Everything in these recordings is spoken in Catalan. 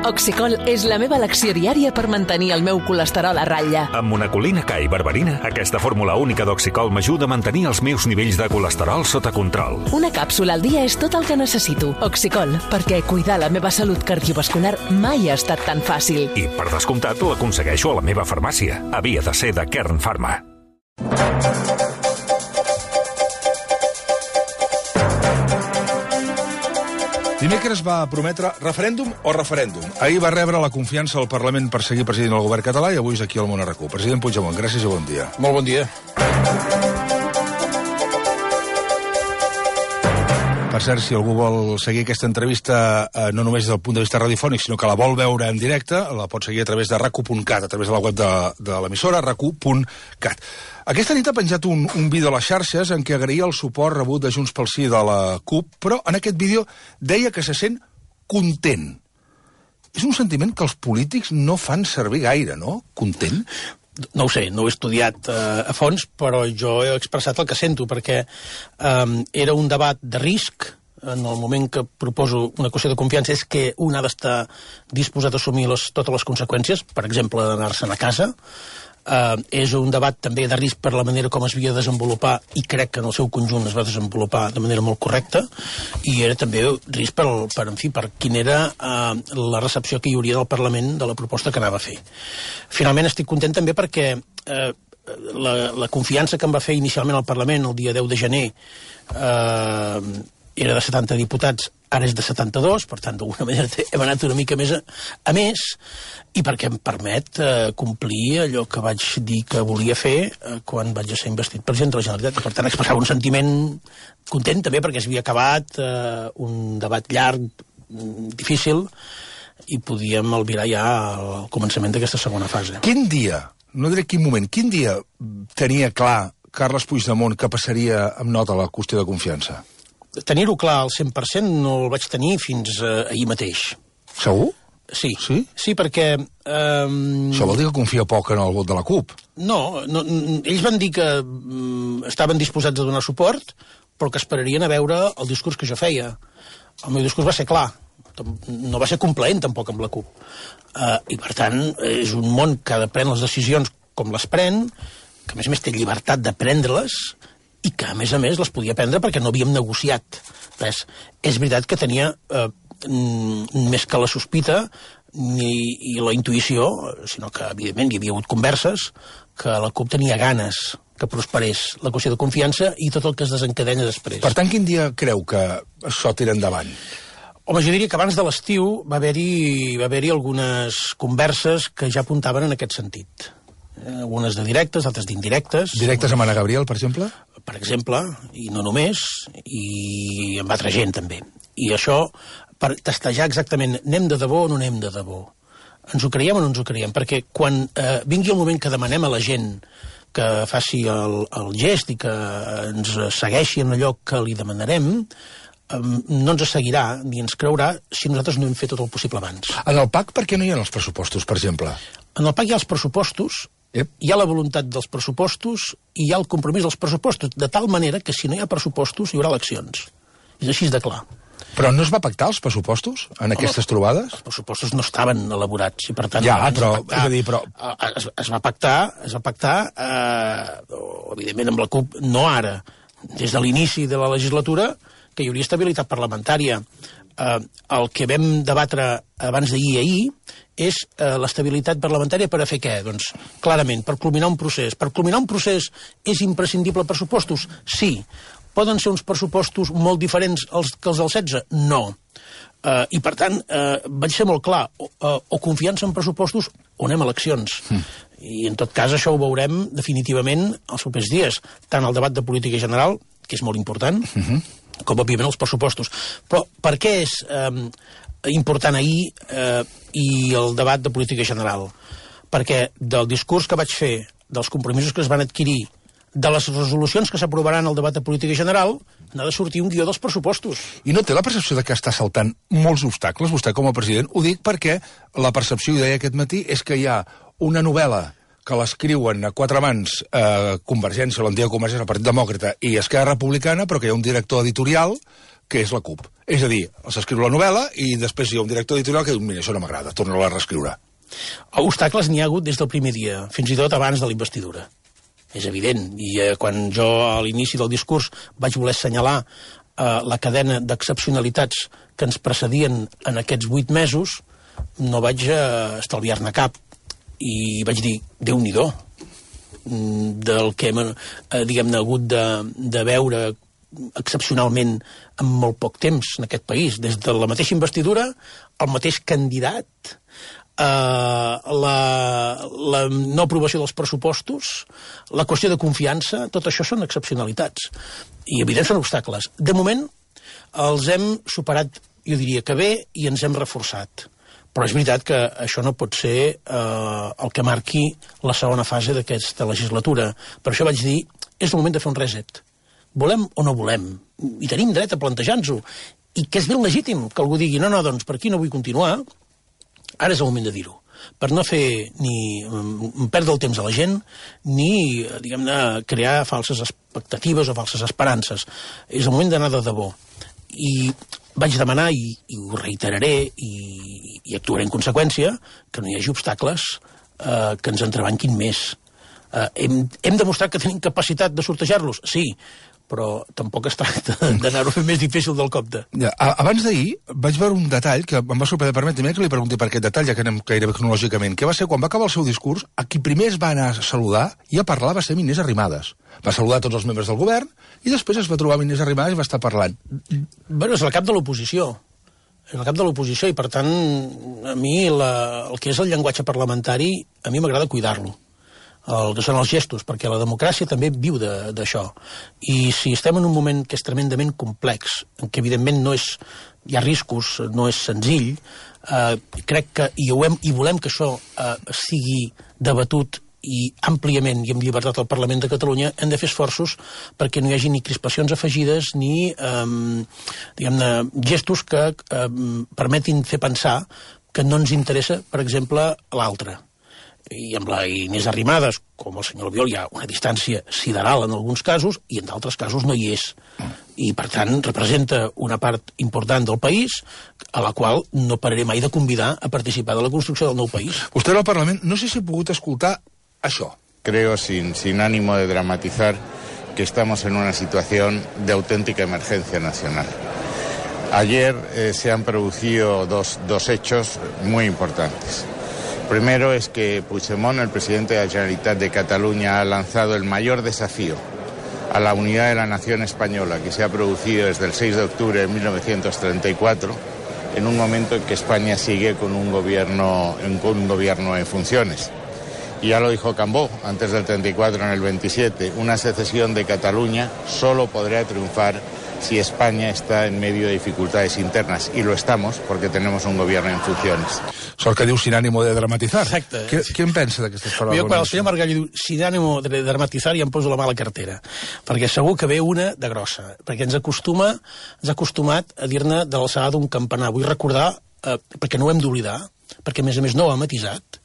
Oxicol és la meva elecció diària per mantenir el meu colesterol a ratlla. Amb monacolina K i berberina, aquesta fórmula única d'Oxicol m'ajuda a mantenir els meus nivells de colesterol sota control. Una càpsula al dia és tot el que necessito. Oxicol, perquè cuidar la meva salut cardiovascular mai ha estat tan fàcil. I, per descomptat, l'aconsegueixo a la meva farmàcia. Havia de ser de Kern Pharma. Dimecres va prometre referèndum o referèndum. Ahir va rebre la confiança al Parlament per seguir presidint el govern català i avui és aquí al Món RQ. President Puigdemont, gràcies i bon dia. Molt bon dia. Per cert, si algú vol seguir aquesta entrevista no només des del punt de vista radiofònic, sinó que la vol veure en directe, la pot seguir a través de racu.cat, a través de la web de l'emissora, racu.cat. Aquesta nit ha penjat un vídeo a les xarxes en què agraïa el suport rebut de Junts pel Sí de la CUP, però en aquest vídeo deia que se sent content. És un sentiment que els polítics no fan servir gaire, no? Content? No ho sé, no ho he estudiat a fons, però jo he expressat el que sento, perquè era un debat de risc. En el moment que proposo una qüestió de confiança és que un ha d'estar disposat a assumir totes les conseqüències, per exemple, d'anar-se'n a casa. És un debat també de risc per la manera com es havia de desenvolupar, i crec que en el seu conjunt es va desenvolupar de manera molt correcta, i era també risc per quina era la recepció que hi hauria del Parlament de la proposta que anava a fer. Finalment estic content també perquè la confiança que em va fer inicialment al Parlament el dia 10 de gener era de 70 diputats, ara és de 72, per tant, d'alguna manera hem anat una mica més a més, i perquè em permet complir allò que vaig dir que volia fer quan vaig ser investit president de la Generalitat. Per tant, expressava un sentiment content també perquè s'havia acabat un debat llarg, difícil, i podíem albirar ja al començament d'aquesta segona fase. Quin dia, no diré quin moment, quin dia tenia clar Carles Puigdemont que passaria amb nota la qüestió de confiança? Tenir-ho clar al 100% no el vaig tenir fins ahir mateix. Segur? Sí. Sí, perquè... Això vol dir que confia poc en el vot de la CUP. No, ells van dir que estaven disposats a donar suport, però que esperarien a veure el discurs que jo feia. El meu discurs va ser clar, no va ser complaent tampoc amb la CUP. I per tant, és un món que ha de prendre les decisions com les pren, que a més té llibertat de prendre-les, i que, a més, les podia prendre perquè no havíem negociat res. És veritat que tenia més que la sospita i la intuïció, sinó que, evidentment, hi havia hagut converses, que la CUP tenia ganes que prosperés la qüestió de confiança i tot el que es desencadenya després. Per tant, quin dia creu que això tira endavant? Home, jo diria que abans de l'estiu va haver-hi algunes converses que ja apuntaven en aquest sentit. Algunes de directes, altres d'indirectes. Directes amb Anna Gabriel, per exemple? Per exemple, i no només, i amb altra gent també. I això, per testejar exactament, anem de debò o no anem de debò? Ens ho creiem o no ens ho creiem? Perquè quan vingui el moment que demanem a la gent que faci el gest i que ens segueixi en allò que li demanarem, no ens seguirà ni ens creurà si nosaltres no hem fet tot el possible abans. En el PAC, per què no hi ha els pressupostos, per exemple? En el PAC hi ha els pressupostos, hi ha la voluntat dels pressupostos i hi ha el compromís dels pressupostos, de tal manera que si no hi ha pressupostos hi haurà eleccions. És així de clar. Però no es va pactar els pressupostos en aquestes trobades? Els pressupostos no estaven elaborats i per tant... Ja, però... Es va pactar, evidentment amb la CUP, no ara, des de l'inici de la legislatura, que hi hauria estabilitat parlamentària. El que vam debatre abans d'ahir i ahir és l'estabilitat parlamentària per a fer què? Doncs, clarament, per culminar un procés. Per culminar un procés és imprescindible pressupostos? Sí. Poden ser uns pressupostos molt diferents que els del 16? No. I, per tant, vaig ser molt clar. O confiança en pressupostos o anem a eleccions. I, en tot cas, això ho veurem definitivament els propers dies. Tant el debat de política general, que és molt important, com, òbviament, els pressupostos. Però per què és important ahir i el debat de política general? Perquè del discurs que vaig fer, dels compromisos que es van adquirir, de les resolucions que s'aprovaran al debat de política general, n'ha de sortir un guió dels pressupostos. I no té la percepció de que està saltant molts obstacles, vostè com a president? Ho dic perquè la percepció, ho deia aquest matí, és que hi ha una novel·la que l'escriuen a quatre mans Convergència, l'antiga Convergència, el Partit Demòcrata i Esquerra Republicana, però que hi ha un director editorial que és la CUP. És a dir, s'escriu la novel·la i després hi ha un director editorial que diu, mira, això no m'agrada, torna-la a reescriure. Obstacles n'hi ha hagut des del primer dia, fins i tot abans de la investidura. És evident, i quan jo a l'inici del discurs vaig voler assenyalar la cadena d'excepcionalitats que ens precedien en aquests 8 mesos, no vaig estalviar-ne cap. I vaig dir, Déu-n'hi-do, del que hem hagut de veure excepcionalment en molt poc temps en aquest país. Des de la mateixa investidura, el mateix candidat, la no aprovació dels pressupostos, la qüestió de confiança, tot això són excepcionalitats. I, evidentment, són obstacles. De moment, els hem superat, jo diria que bé, i ens hem reforçat. Però és veritat que això no pot ser el que marqui la segona fase d'aquesta legislatura. Per això vaig dir, és el moment de fer un reset. Volem o no volem? I tenim dret a plantejar-nos-ho. I que és ben legítim que algú digui, no, doncs per aquí no vull continuar. Ara és el moment de dir-ho, per no fer ni perdre el temps a la gent, ni, diguem-ne, crear falses expectatives o falses esperances. És el moment d'anar de debò. I vaig demanar, i ho reiteraré, i actuaré en conseqüència, que no hi hagi obstacles que ens entrebanquin més. Hem demostrat que tenim capacitat de sortejar-los? Sí, però tampoc es tracta d'anar-ho fent més difícil del compte. Abans d'ahir vaig veure un detall que em va sorprendre. Permeti'm que li pregunti per aquest detall, ja que anem gairebé cronològicament, que va ser quan va acabar el seu discurs, a qui primer es va anar a saludar i a parlar va ser Inés Arrimadas. Va saludar tots els membres del govern i després es va trobar amb Inés Arrimadas i va estar parlant. Bueno, és el cap de l'oposició. És el cap de l'oposició i, per tant, a mi el que és el llenguatge parlamentari, a mi m'agrada cuidar-lo. El que són els gestos, perquè la democràcia també viu d'això. I si estem en un moment que és tremendament complex, en què evidentment hi ha riscos, no és senzill, crec que, i volem que això sigui debatut i àmpliament i amb llibertat al Parlament de Catalunya, hem de fer esforços perquè no hi hagi ni crispacions afegides ni diguem-ne, gestos que permetin fer pensar que no ens interessa, per exemple, l'altre. I amb la Inés Arrimadas, com el senyor Albiol, hi ha una distància sideral en alguns casos, i en d'altres casos no hi és. I, per tant, representa una part important del país a la qual no pararé mai de convidar a participar de la construcció del nou país. Vostè al Parlament, no sé si ha pogut escoltar això. Creo, sin ánimo de dramatizar, que estamos en una situación de auténtica emergencia nacional. Ayer se han producido dos hechos muy importantes. Primero es que Puigdemont, el presidente de la Generalitat de Cataluña, ha lanzado el mayor desafío a la unidad de la nación española que se ha producido desde el 6 de octubre de 1934, en un momento en que España sigue con un gobierno en funciones. Y ya lo dijo Cambó antes del 34, en el 27, una secesión de Cataluña solo podrá triunfar si España está en medio de dificultades internas, y lo estamos porque tenemos un gobierno en funciones. Sort que diu sin ánimo de dramatizar. Exacte. Què en pensa d'aquestes paraules? Jo, quan el senyor Margallo diu sin ánimo de dramatizar, ja em poso la mà a la cartera, perquè segur que ve una de grossa, perquè ens ha acostumat a dir-ne de l'alçada d'un campanar. Vull recordar, perquè no ho hem d'oblidar, perquè a més no ho ha matisat,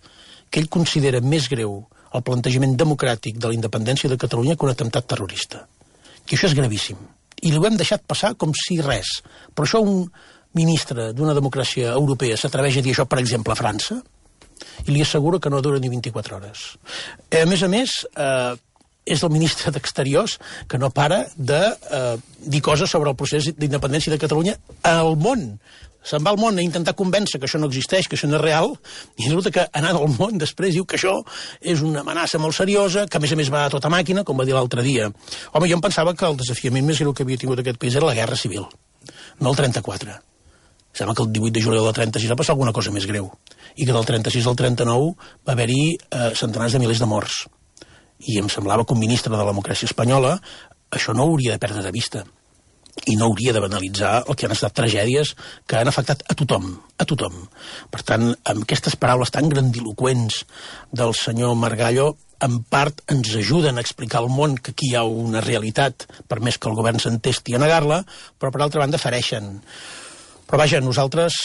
que ell considera més greu el plantejament democràtic de la independència de Catalunya que un atemptat terrorista. I això és gravíssim. I ho hem deixat passar com si res. Però això un ministre d'una democràcia europea s'atreveix a dir això, per exemple, a França, i li asseguro que no dura ni 24 hores. A més, és el ministre d'Exteriors que no para de dir coses sobre el procés d'independència de Catalunya al món. Se'n va al món a intentar convèncer que això no existeix, que això no és real, i resulta que anant al món després diu que això és una amenaça molt seriosa, que a més va a tota màquina, com va dir l'altre dia. Home, jo em pensava que el desafiament més greu que havia tingut aquest país era la Guerra Civil, no el 34. Sembla que el 18 de juliol del 36 va passar alguna cosa més greu, i que del 36 al 39 va haver-hi centenars de milers de morts. I em semblava que un ministre de la democràcia espanyola això no hauria de perdre de vista. I no hauria de banalitzar el que han estat tragèdies que han afectat a tothom, a tothom. Per tant, amb aquestes paraules tan grandiloquents del senyor Margallo, en part ens ajuden a explicar al món que aquí hi ha una realitat, per més que el govern s'entesti a negar-la, però per altra banda fereixen Però vaja, nosaltres,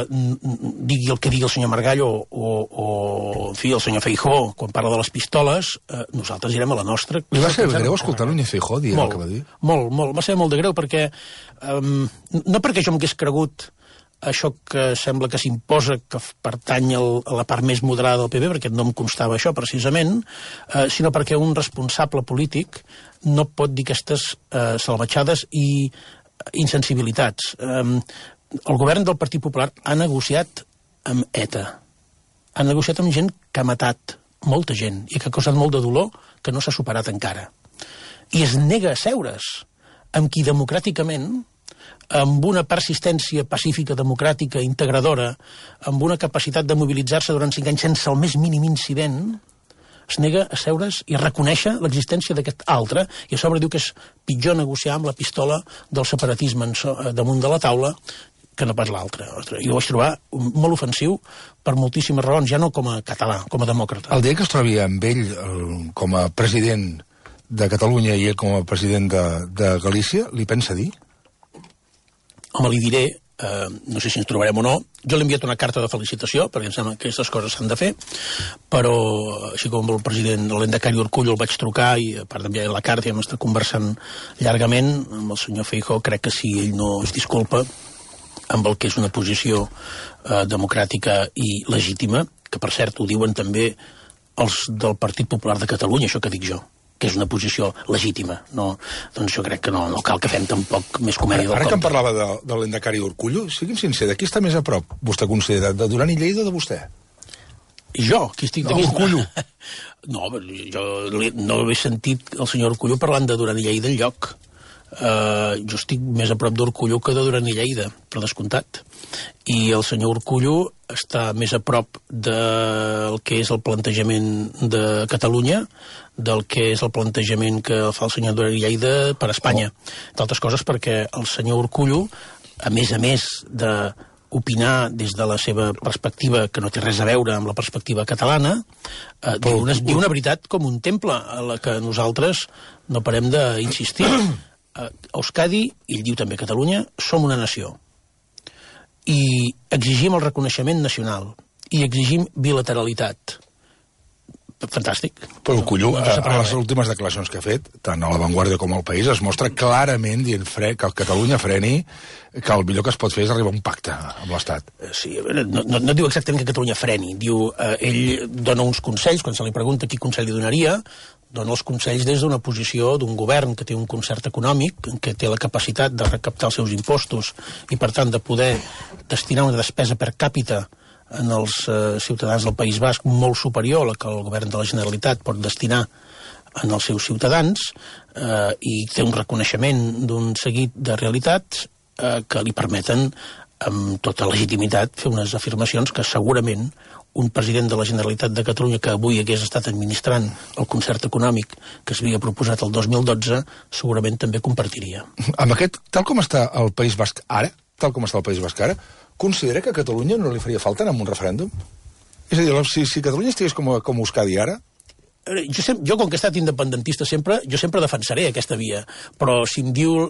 digui el que digui el senyor Margallo o en fi, el senyor Feijóo, quan parla de les pistoles, nosaltres irem a la nostra. Li va ser greu escoltar-lo ni Feijóo dir el que va dir? Molt, va ser molt de greu, perquè no perquè jo m'hagués cregut això que sembla que s'imposa, que pertany a la part més moderada del PP, perquè no em constava això, precisament, sinó perquè un responsable polític no pot dir aquestes salvatjades i insensibilitats. El govern del Partit Popular ha negociat amb ETA. Ha negociat amb gent que ha matat molta gent i que ha causat molt de dolor que no s'ha superat encara. I es nega a seure's amb qui democràticament, amb una persistència pacífica, democràtica, integradora, amb una capacitat de mobilitzar-se durant 5 anys sense el més mínim incident, es nega a seure's i a reconèixer l'existència d'aquest altre, i a sobre diu que és pitjor negociar amb la pistola del separatisme damunt de la taula que no pas l'altre. I ho vaig trobar molt ofensiu per moltíssimes raons, ja no com a català, com a demòcrata. El dia que es trobi amb ell com a president de Catalunya i ell com a president de Galícia, li pensa dir? Home, li diré, no sé si ens trobarem o no, jo l'he enviat una carta de felicitació, perquè em sembla que aquestes coses s'han de fer, però així com el president l'Endacari Urkullu el vaig trucar i a part d'enviar la carta ja hem estat conversant llargament amb el senyor Feijóo, crec que si ell no es disculpa amb el que és una posició democràtica i legítima, que per cert ho diuen també els del Partit Popular de Catalunya, això que dic jo, que és una posició legítima. No, doncs jo crec que no cal que fem tampoc més comèdia del compte. Ara que em parlava de l'Endacari Urkullu, sigui'm sincer, de qui està més a prop, vostè considera, de Duran i Lleida o de vostè? I jo? Qui estic de Urkullu? No, jo no he sentit el senyor Urkullu parlant de Duran i Lleida enlloc. Jo estic més a prop d'Urkullu que de Duran i Lleida, per descomptat. I el senyor Urkullu està més a prop del que és el plantejament de Catalunya, del que és el plantejament que fa el senyor Duran i Lleida per Espanya. D'altres coses perquè el senyor Urkullu, a més d'opinar des de la seva perspectiva, que no té res a veure amb la perspectiva catalana, diu una veritat com un temple, a la que nosaltres no parem d'insistir. A Euskadi, i ell diu també Catalunya, som una nació. I exigim el reconeixement nacional. I exigim bilateralitat. Fantàstic. Però Urkullu, a les últimes declaracions que ha fet, tant a La Vanguardia com al País, es mostra clarament dient que Catalunya freni, que el millor que es pot fer és arribar a un pacte amb l'Estat. Sí, no diu exactament que Catalunya freni. Diu, ell dona uns consells, quan se li pregunta quin consell li donaria, dona els consells des d'una posició d'un govern que té un concert econòmic, que té la capacitat de recaptar els seus impostos i, per tant, de poder destinar una despesa per càpita en els ciutadans del País Basc molt superior a la que el govern de la Generalitat pot destinar en els seus ciutadans, i té un reconeixement d'un seguit de realitats que li permeten, amb tota legitimitat, fer unes afirmacions que segurament un president de la Generalitat de Catalunya que avui hagués estat administrant el concert econòmic que s'havia proposat el 2012 segurament també compartiria. Amb aquest, tal com està el País Basc ara, considera que a Catalunya no li faria falta anar a un referèndum? És a dir, si Catalunya estigués com Euskadi ara... Jo, com que he estat independentista sempre, jo sempre defensaré aquesta via, però si em diu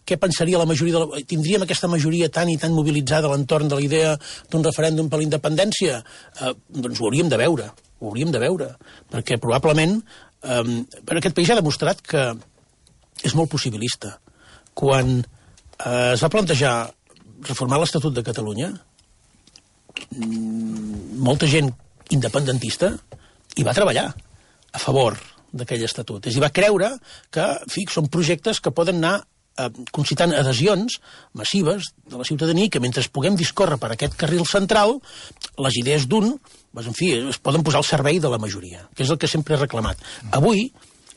què pensaria la majoria tindríem aquesta majoria tan i tan mobilitzada a l'entorn de la idea d'un referèndum per la independència, doncs ho hauríem de veure, perquè probablement aquest país ha demostrat que és molt possibilista. Quan es va plantejar reformar l'Estatut de Catalunya, molta gent independentista hi va treballar a favor d'aquell estatut. És a dir, va creure que, en fi, són projectes que poden anar concitant adhesions massives de la ciutadania, que mentre puguem discórrer per aquest carril central, les idees d'un, en fi, es poden posar al servei de la majoria, que és el que sempre he reclamat. Avui,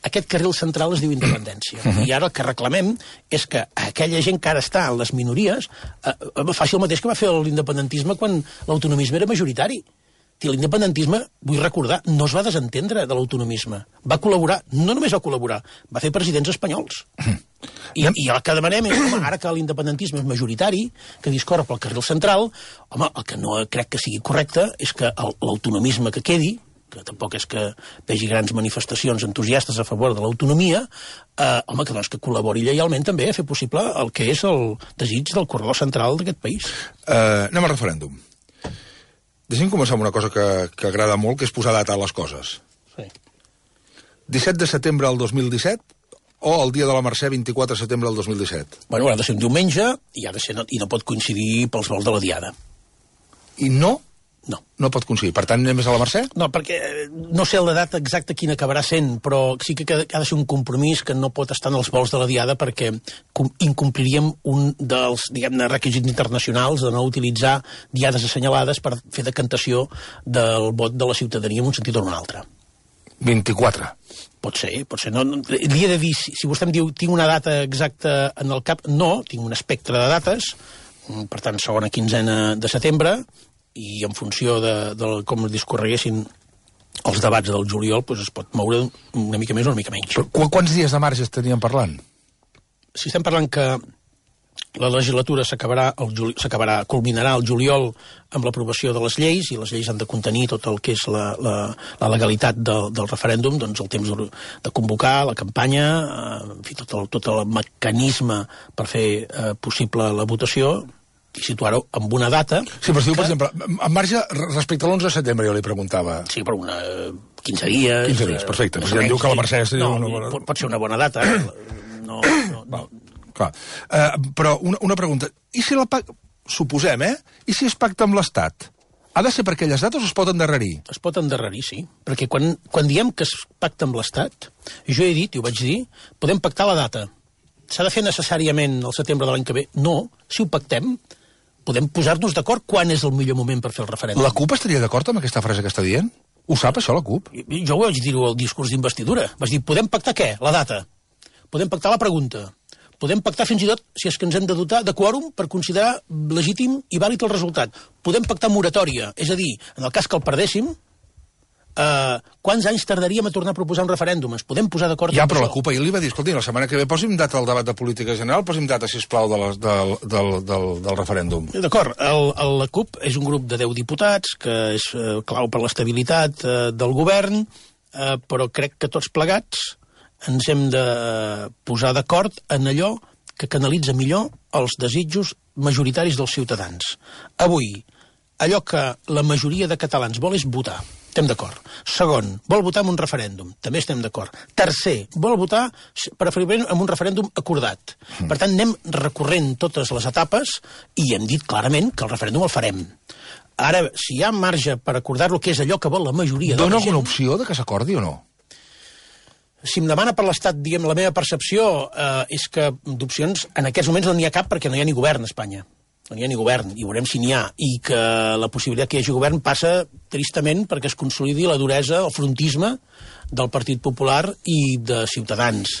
aquest carril central es diu independència. I ara el que reclamem és que aquella gent que ara està en les minories faci el mateix que va fer l'independentisme quan l'autonomisme era majoritari. L'independentisme, vull recordar, no es va desentendre de l'autonomisme. Va col·laborar, no només va col·laborar, va fer presidents espanyols. I el que demanem és, home, ara que l'independentisme és majoritari, que discorre pel carril central, home, el que no crec que sigui correcte és que l'autonomisme que quedi, que tampoc és que vegi grans manifestacions entusiastes a favor de l'autonomia, home, que col·labori lleialment també a fer possible el que és el desig del corredor central d'aquest país. Anem al referèndum. Deixem començar amb una cosa que agrada molt, que és posar data a les coses. Sí. 17 de setembre del 2017 o el dia de la Mercè, 24 de setembre del 2017? Bueno, ha de ser un diumenge i no pot coincidir pels vols de la Diada. I no? No. No pot coincidir. Per tant, anem més a la Mercè? No, perquè no sé la data exacta quina acabarà sent, però sí que ha de ser un compromís que no pot estar en els vols de la Diada perquè incompliríem un dels, diguem-ne, requisits internacionals de no utilitzar diades assenyalades per fer decantació del vot de la ciutadania en un sentit o en un altre. 24. Pot ser. No, li he de dir, si vostè em diu tinc una data exacta en el cap, no, tinc un espectre de dates, per tant, segona quinzena de setembre, i en funció de com discorreguessin els debats del juliol, doncs es pot moure una mica més o una mica menys. Però quants dies de marge estaríem parlant? Si estem parlant que la legislatura culminarà el juliol amb l'aprovació de les lleis, i les lleis han de contenir tot el que és la legalitat del referèndum, doncs el temps de convocar la campanya, en fi, tot el mecanisme per fer possible la votació, i situar-ho amb una data... Sí, però per exemple, en marge respecte a l'11 de setembre, jo li preguntava... Sí, però 15 dies... 15 dies, perfecte. Ja em diu que la Mercè... Pot ser una bona data. No. Clar. Però una pregunta. I si suposem, I si es pacta amb l'Estat? Ha de ser per aquelles dates o es pot endarrerir? Es pot endarrerir, sí. Perquè quan diem que es pacta amb l'Estat, jo he dit, i ho vaig dir, podem pactar la data. S'ha de fer necessàriament el setembre de l'any que ve? No. Si ho pactem, podem posar-nos d'acord quan és el millor moment per fer el referèndum. La CUP estaria d'acord amb aquesta frase que està dient? Ho sap, això, la CUP? Jo ho vaig dir-ho al discurs d'investidura. Vaig dir, podem pactar què? La data. Podem pactar la pregunta. Podem pactar fins i tot, si és que ens hem de dotar de quòrum per considerar legítim i vàlid el resultat. Podem pactar moratòria. És a dir, en el cas que el perdéssim, quants anys tardaríem a tornar a proposar un referèndum? Ens podem posar d'acord amb això? Ja, però la CUP ahir li va dir, escolti, la setmana que ve posi'm data al debat de política general, posi'm data, sisplau, del referèndum. D'acord, la CUP és un grup de 10 diputats, que és clau per l'estabilitat del govern, però crec que tots plegats ens hem de posar d'acord en allò que canalitza millor els desitjos majoritaris dels ciutadans. Avui, allò que la majoria de catalans vol és votar. Estem d'acord. Segon, vol votar en un referèndum. També estem d'acord. Tercer, vol votar preferiblement en un referèndum acordat. Per tant, anem recorrent totes les etapes i hem dit clarament que el referèndum el farem. Ara, si hi ha marge per acordar-lo, que és allò que vol la majoria de la gent... Dóna alguna opció de que s'acordi o no? Si em demana per l'Estat, diguem, la meva percepció és que d'opcions en aquests moments no n'hi ha cap perquè no hi ha ni govern a Espanya. No n'hi ha ni govern, i veurem si n'hi ha, i que la possibilitat que hi hagi govern passa tristament perquè es consolidi la duresa, el frontisme del Partit Popular i de Ciutadans.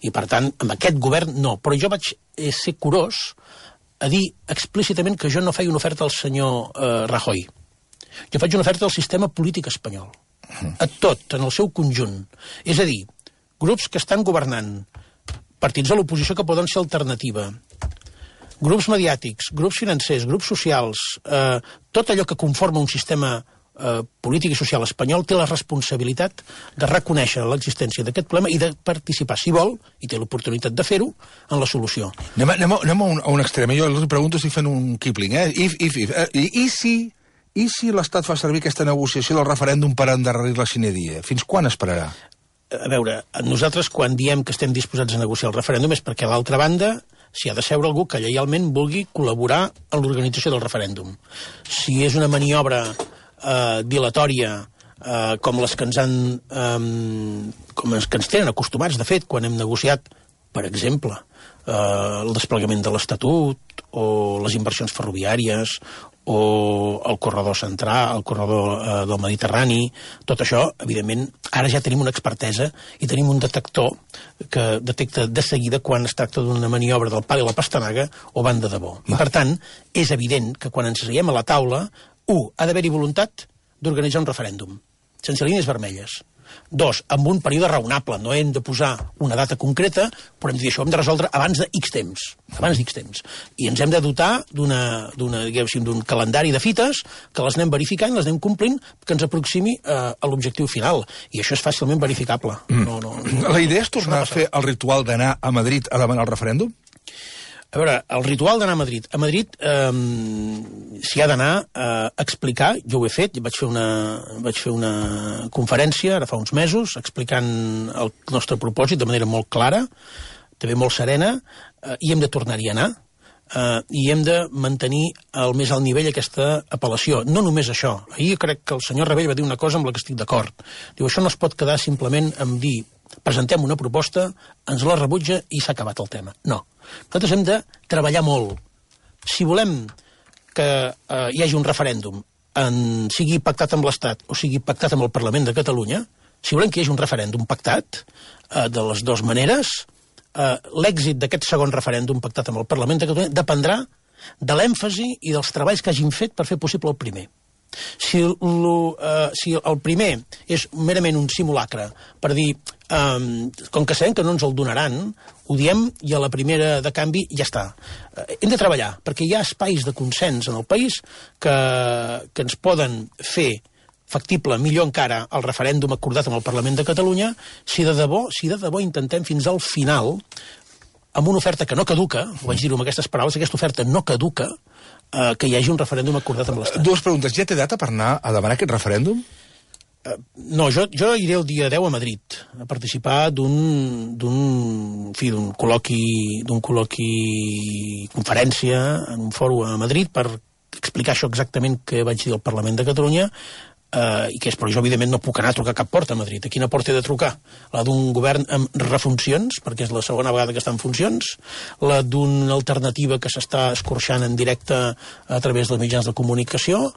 I, per tant, amb aquest govern no. Però jo vaig ser curós a dir explícitament que jo no feia una oferta al senyor Rajoy. Jo faig una oferta al sistema polític espanyol. A tot, en el seu conjunt. És a dir, grups que estan governant, partits de l'oposició que poden ser alternativa, grups mediàtics, grups financers, grups socials, tot allò que conforma un sistema polític i social espanyol té la responsabilitat de reconèixer l'existència d'aquest problema i de participar, si vol, i té l'oportunitat de fer-ho, en la solució. Anem a un extrem. Jo li pregunto, estic fent un Kipling, I si l'Estat fa servir aquesta negociació del referèndum per endarrerir-la sine die? Fins quan esperarà? A veure, nosaltres quan diem que estem disposats a negociar el referèndum és perquè a l'altra banda s'hi ha de seure algú que lleialment vulgui col·laborar en l'organització del referèndum. Si és una maniobra dilatòria com les que ens tenen acostumats, de fet, quan hem negociat, per exemple, el desplegament de l'Estatut o les inversions ferroviàries o el corredor central, el corredor del Mediterrani, tot això, evidentment, ara ja tenim una expertesa i tenim un detector que detecta de seguida quan es tracta d'una maniobra del pal i la pastanaga o van de debò. I, per tant, és evident que quan ens asseiem a la taula, ha d'haver-hi voluntat d'organitzar un referèndum, sense línies vermelles. Dos, amb un període raonable. No hem de posar una data concreta, però hem de dir això, hem de resoldre abans d'X temps. I ens hem de dotar d'un calendari de fites que les anem verificant, les anem complint, que ens aproximi a l'objectiu final. I això és fàcilment verificable. La idea és tornar a fer el ritual d'anar a Madrid a demanar el referèndum? A veure, el ritual d'anar a Madrid. A Madrid s'hi ha d'anar a explicar, jo ho he fet, vaig fer una conferència ara fa uns mesos explicant el nostre propòsit de manera molt clara, també molt serena, i hem de tornar-hi a anar, i hem de mantenir al més alt nivell aquesta apel·lació. No només això. Ahir crec que el senyor Rebell va dir una cosa amb la que estic d'acord. Diu, això no es pot quedar simplement amb dir presentem una proposta, ens la rebutja i s'ha acabat el tema. No. Nosaltres hem de treballar molt. Si volem que hi hagi un referèndum, sigui pactat amb l'Estat o sigui pactat amb el Parlament de Catalunya, si volem que hi hagi un referèndum pactat, de les dues maneres, l'èxit d'aquest segon referèndum pactat amb el Parlament de Catalunya dependrà de l'èmfasi i dels treballs que hagin fet per fer possible el primer. Si el primer és merament un simulacre per dir, com que sabem que no ens el donaran, ho diem i a la primera de canvi ja està. Hem de treballar, perquè hi ha espais de consens en el país que ens poden fer factible, millor encara, el referèndum acordat amb el Parlament de Catalunya, si de debò intentem fins al final, amb una oferta que no caduca, ho vaig dir-ho amb aquestes paraules, aquesta oferta no caduca, que hi hagi un referèndum acordat amb l'Estat. Dues preguntes. Ja té data per anar a demanar aquest referèndum? No, jo iré el dia 10 a Madrid a participar d'un col·loqui conferència en un fòrum a Madrid per explicar això exactament que vaig dir al Parlament de Catalunya, però jo evidentment no puc anar a trucar cap porta a Madrid. A quina porta he de trucar? La d'un govern amb refuncions, perquè és la segona vegada que està en funcions, la d'una alternativa que s'està escorxant en directe a través dels mitjans de comunicació,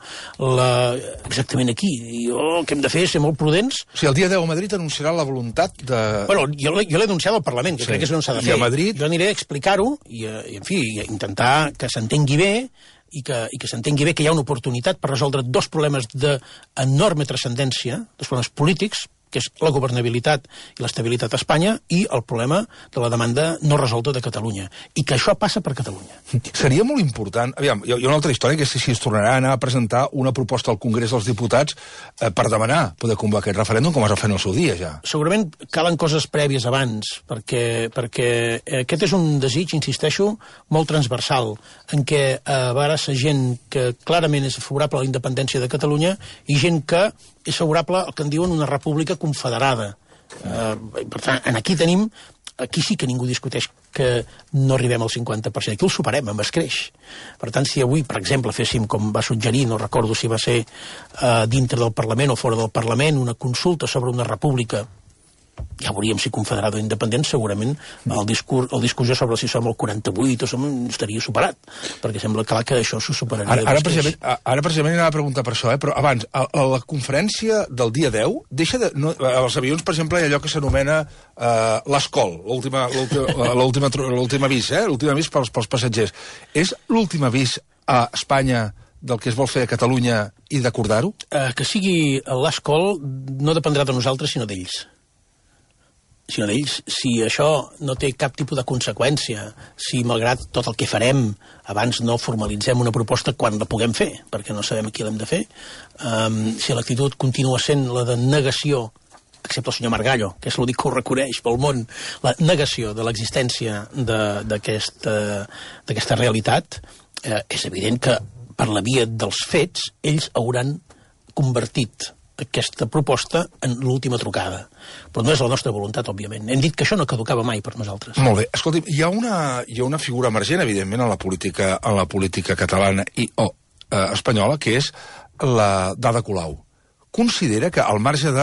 exactament aquí. El que hem de fer és ser molt prudents. O sigui, el dia 10 a Madrid anunciarà la voluntat de... Bueno, jo l'he anunciat al Parlament, que crec que és on s'ha de fer. I a Madrid... Jo aniré a explicar-ho i en fi, intentar que s'entengui bé i que s'entengui bé que hi ha una oportunitat per resoldre dos problemes d'enorme transcendència, dos problemes polítics, que és la governabilitat i l'estabilitat a Espanya, i el problema de la demanda no resolta de Catalunya. I que això passa per Catalunya. Seria molt important... Aviam, hi ha una altra història, que és si es tornarà a anar a presentar una proposta al Congrés dels Diputats per demanar poder convocar aquest referèndum, com es va fer en el seu dia, ja. Segurament calen coses prèvies abans, perquè aquest és un desig, insisteixo, molt transversal, en què a vegades hi ha gent que clarament és favorable a la independència de Catalunya i gent que és favorable al que en diuen una república confederada. Per tant, aquí sí que ningú discuteix que no arribem al 50%. Aquí el superem amb escreix. Per tant, si avui, per exemple, féssim, com va suggerir, no recordo si va ser dintre del Parlament o fora del Parlament, una consulta sobre una república, ja veuríem si confederada o independent, segurament la discussió sobre si som el 48 o estaria superat, perquè sembla clar que això s'ho superaria. Ara precisament anava a preguntar per això, però abans, a la conferència del dia 10, deixa de... als avions, per exemple, hi ha allò que s'anomena l'escol, l'últim avís, l'últim avís pels passatgers. És l'últim avís a Espanya del que es vol fer a Catalunya i d'acordar-ho? Que sigui l'escol no dependrà de nosaltres, sinó d'ells. Si això no té cap tipus de conseqüència, si malgrat tot el que farem abans no formalitzem una proposta quan la puguem fer, perquè no sabem a qui l'hem de fer, si l'actitud continua sent la de negació, excepte el senyor Margallo, que és l'únic que ho reconeix pel món, la negació de l'existència d'aquesta realitat, és evident que per la via dels fets ells hauran convertit aquesta proposta en l'última trucada. Però no és la nostra voluntat, òbviament. Hem dit que això no caducava mai per nosaltres. Molt bé. Escolti'm, hi ha una figura emergent, evidentment, en la política catalana i espanyola, que és la d'Ada Colau. Considera que al marge de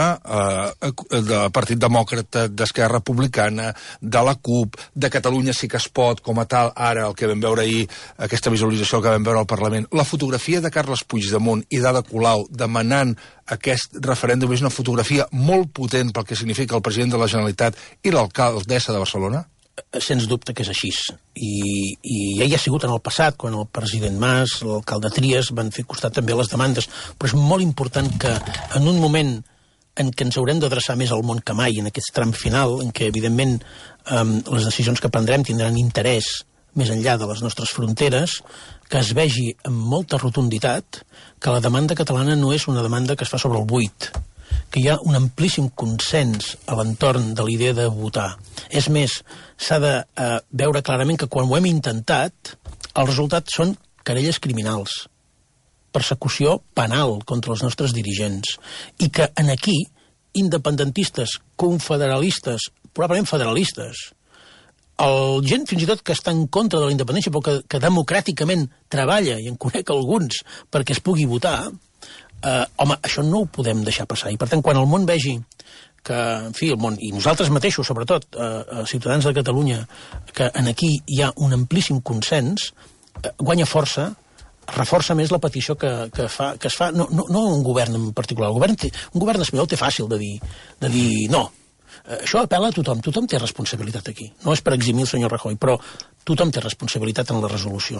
Partit Demòcrata, d'Esquerra Republicana, de la CUP, de Catalunya sí que es pot, com a tal, ara el que vam veure ahir, aquesta visualització que vam veure al Parlament, la fotografia de Carles Puigdemont i d'Ada Colau demanant aquest referèndum és una fotografia molt potent pel que significa el president de la Generalitat i l'alcaldessa de Barcelona? Sens dubte que és així. I ja hi ha sigut en el passat, quan el president Mas, l'alcalde Trias, van fer costat també a les demandes. Però és molt important que en un moment en què ens haurem d'adreçar més al món que mai, en aquest tram final, en què, evidentment, les decisions que prendrem tindran interès més enllà de les nostres fronteres, que es vegi amb molta rotunditat que la demanda catalana no és una demanda que es fa sobre el buit, que hi ha un amplíssim consens a l'entorn de la idea de votar. És més, s'ha de veure clarament que quan ho hem intentat, els resultats són querelles criminals, persecució penal contra els nostres dirigents, i que en aquí, independentistes, confederalistes, probablement federalistes, gent fins i tot que està en contra de la independència però que democràticament treballa, i en conec alguns, perquè es pugui votar, home, això no ho podem deixar passar. I per tant, quan el món vegi que, en fi, el món, i nosaltres mateixos, sobretot, ciutadans de Catalunya, que en aquí hi ha un amplíssim consens, guanya força, reforça més la petició que es fa, no un govern en particular. Un govern espanyol té fàcil de dir no. Això apel·la a tothom té responsabilitat aquí. No és per eximir el senyor Rajoy, però tothom té responsabilitat en la resolució.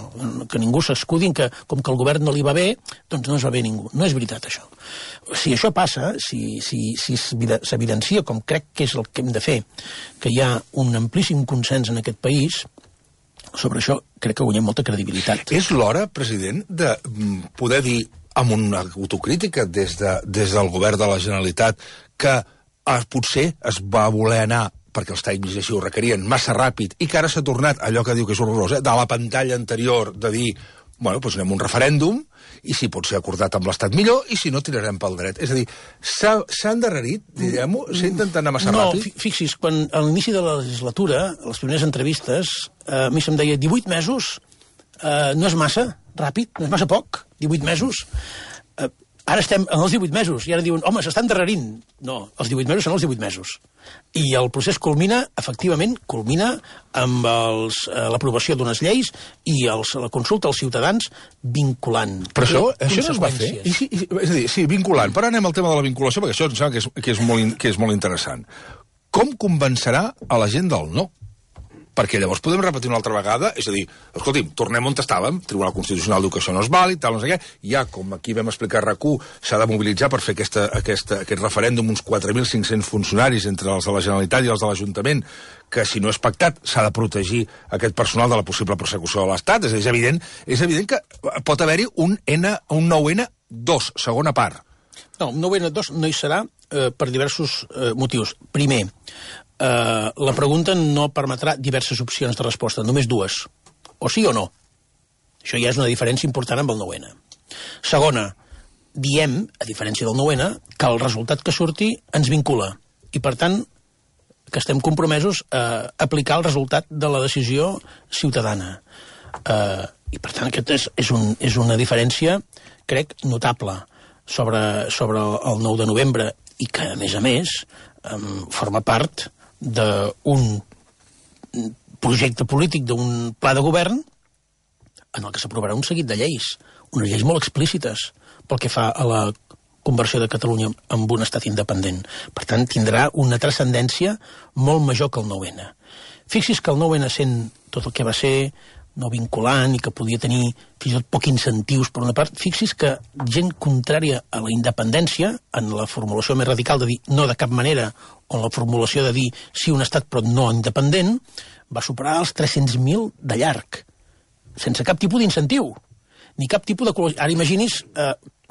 Que ningú s'escudi en que, com que el govern no li va bé, doncs no es va bé ningú. No és veritat, això. Si això passa, si s'evidencia, com crec que és el que hem de fer, que hi ha un amplíssim consens en aquest país, sobre això crec que guanyem molta credibilitat. És l'hora, president, de poder dir amb una autocrítica des del govern de la Generalitat que potser es va voler anar, perquè els tècnics així ho requerien, massa ràpid, i que ara s'ha tornat allò que diu que és horrorós, de la pantalla anterior, de dir, bueno, doncs anem a un referèndum, i si pot ser acordat amb l'Estat millor, i si no, tirarem pel dret. És a dir, s'ha endarrerit, diguem-ho, s'ha intentat anar massa ràpid? No, fixi's, quan a l'inici de la legislatura, a les primeres entrevistes, a mi se'm deia 18 mesos no és massa ràpid, no és massa poc, 18 mesos. Ara estem en els 18 mesos, i ara diuen, home, s'estan endarrerint. No, els 18 mesos són els 18 mesos. I el procés efectivament, culmina amb l'aprovació d'unes lleis i la consulta als ciutadans vinculant. Però això no es va fer? És a dir, sí, vinculant. Però anem al tema de la vinculació, perquè això em sembla que és molt interessant. Com convencerà a la gent del no? Perquè llavors podem repetir una altra vegada, és a dir, escolti'm, tornem on estàvem, Tribunal Constitucional diu que això no és vàlid, tal, no sé què, ja, com aquí vam explicar a RAC1, s'ha de mobilitzar per fer aquest referèndum uns 4.500 funcionaris entre els de la Generalitat i els de l'Ajuntament, que si no és pactat s'ha de protegir aquest personal de la possible persecució de l'Estat. És evident que pot haver-hi un 9N2, segona part. No, un 9N2 no hi serà per diversos motius. Primer, la pregunta no permetrà diverses opcions de resposta, només dues, o sí o no. Això ja és una diferència important amb el 9N. Segona, diem, a diferència del 9N, que el resultat que surti ens vincula, i per tant que estem compromesos a aplicar el resultat de la decisió ciutadana. I per tant aquest és una diferència, crec, notable sobre el 9 de novembre, i que, a més, forma part d'un projecte polític, d'un pla de govern en el que s'aprovarà un seguit de lleis, unes lleis molt explícites pel que fa a la conversió de Catalunya en un estat independent. Per tant, tindrà una transcendència molt major que el 9N. Fixi's que el 9N, sent tot el que va ser, no vinculant i que podia tenir fins i tot poc incentius per una part, fixi's que gent contrària a la independència, en la formulació més radical de dir no de cap manera, o en la formulació de dir sí un estat però no independent, va superar els 300.000 de llarg, sense cap tipus d'incentiu, ni cap tipus de... Ara imagini's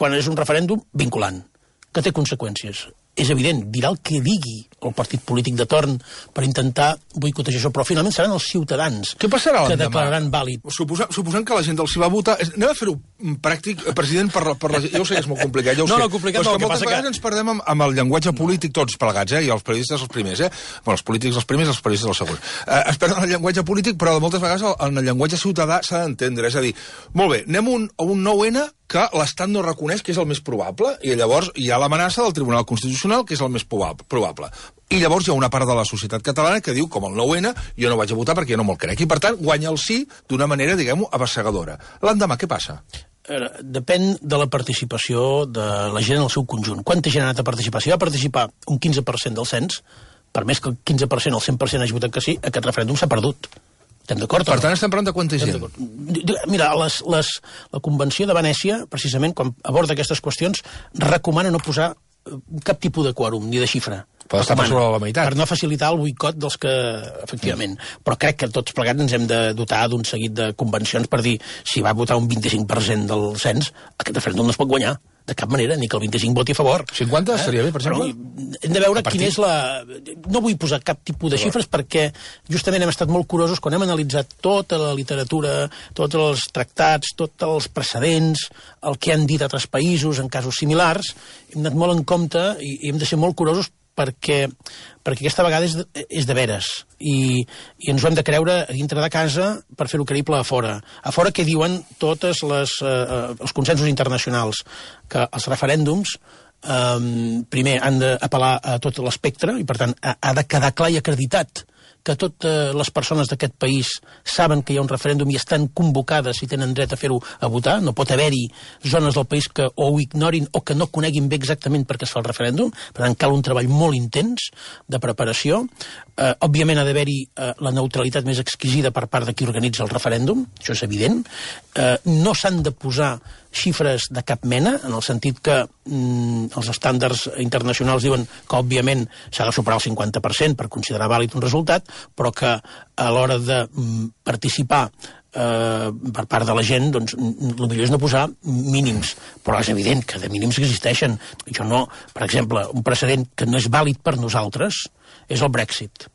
quan és un referèndum vinculant, que té conseqüències. És evident, dirà el que digui el partit polític de torn per intentar boicotejar això, però finalment seran els ciutadans que declararan vàlid. Suposant que la gent els hi va votar... Anem a fer-ho pràctic, president, per la gent. Jo ho sé que és molt complicat, ja ho sé. Complicat no, que moltes vegades ens perdem amb el llenguatge polític tots plegats, i els periodistes els primers, Bueno, els polítics els primers, els periodistes els segons. Es perden el llenguatge polític, però moltes vegades en el llenguatge ciutadà s'ha d'entendre. És a dir, molt bé, anem a un 9N que l'Estat no reconeix que és el més probable, i llavors hi ha l'amenaça del Tribunal Constitucional, que és el més probable. I llavors hi ha una part de la societat catalana que diu, com el 9N, jo no vaig a votar perquè jo no me'l crec. I, per tant, guanya el sí d'una manera, diguem-ho, abassegadora. L'endemà, què passa? Depèn de la participació de la gent en el seu conjunt. Quanta gent ha anat a participar? Si va participar un 15% del cens, per més que el 15% o el 100% hagi votat que sí, aquest referèndum s'ha perdut. Estem d'acord? Per tant, estem parlant de quanta gent? Mira, la Convenció de Venècia, precisament, quan aborda aquestes qüestions, recomana no posar cap tipus de quòrum, ni de xifra. Pot estar per sobre la meitat. Per no facilitar el boicot dels que, efectivament. Però crec que tots plegats ens hem de dotar d'un seguit de convencions per dir, si va votar un 25% del cens, aquest referèndum no es pot guanyar. De cap manera, ni que el 25 voti a favor. 50 estaria bé, per exemple? Però hem de veure quina és la... No vull posar cap tipus de xifres perquè justament hem estat molt curosos quan hem analitzat tota la literatura, tots els tractats, tots els precedents, el que han dit altres països en casos similars. Hem anat molt en compte i hem de ser molt curosos perquè aquesta vegada és de veres i ens ho hem de creure a dintre de casa per fer-ho creïble a fora. A fora què diuen tots els consensos internacionals? Que els referèndums primer han d'apel·lar a tot l'espectre i per tant ha de quedar clar i acreditat que totes les persones d'aquest país saben que hi ha un referèndum i estan convocades i tenen dret a fer-ho a votar. No pot haver-hi zones del país que o ho ignorin o que no coneguin bé exactament per què es fa el referèndum. Per tant, cal un treball molt intens de preparació. Òbviament ha d'haver-hi la neutralitat més exquisida per part de qui organitza el referèndum, això és evident. No s'han de posar xifres de cap mena, en el sentit que els estàndards internacionals diuen que, òbviament, s'ha de superar el 50% per considerar vàlid un resultat, però que a l'hora de participar per part de la gent, doncs, el millor és no posar mínims, però és evident que de mínims existeixen. Jo no, per exemple, un precedent que no és vàlid per nosaltres és el Brexit.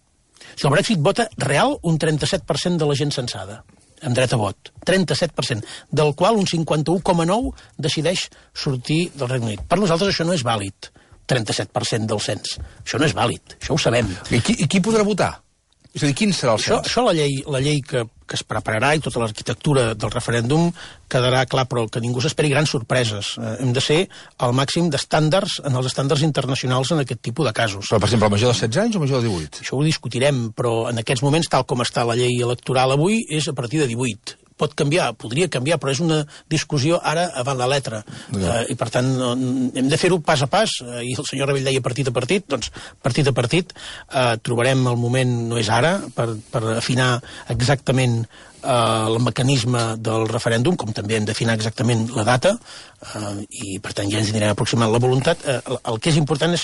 Si el Brexit vota real un 37% de la gent censada, amb dret a vot, 37%, del qual un 51,9% decideix sortir del Regne Unit. Per nosaltres això no és vàlid, 37% del cens. Això no és vàlid, això ho sabem. I qui podrà votar? És a dir, quin serà el cens? Això la llei que es prepararà i tota l'arquitectura del referèndum quedarà clar, però que ningú s'esperi grans sorpreses. Hem de ser al màxim d'estàndards en els estàndards internacionals en aquest tipus de casos. Però, per exemple, major de 16 anys o major de 18? Això ho discutirem, però en aquests moments, tal com està la llei electoral avui, és a partir de 18. Pot canviar, podria canviar, però és una discussió ara avant la letra. I, per tant, hem de fer-ho pas a pas. I el senyor Rebell deia partit a partit, doncs partit a partit. Trobarem el moment, no és ara, per afinar exactament el mecanisme del referèndum, com també hem d'afinar exactament la data, i per tant ja ens anirem aproximant la voluntat. El que és important és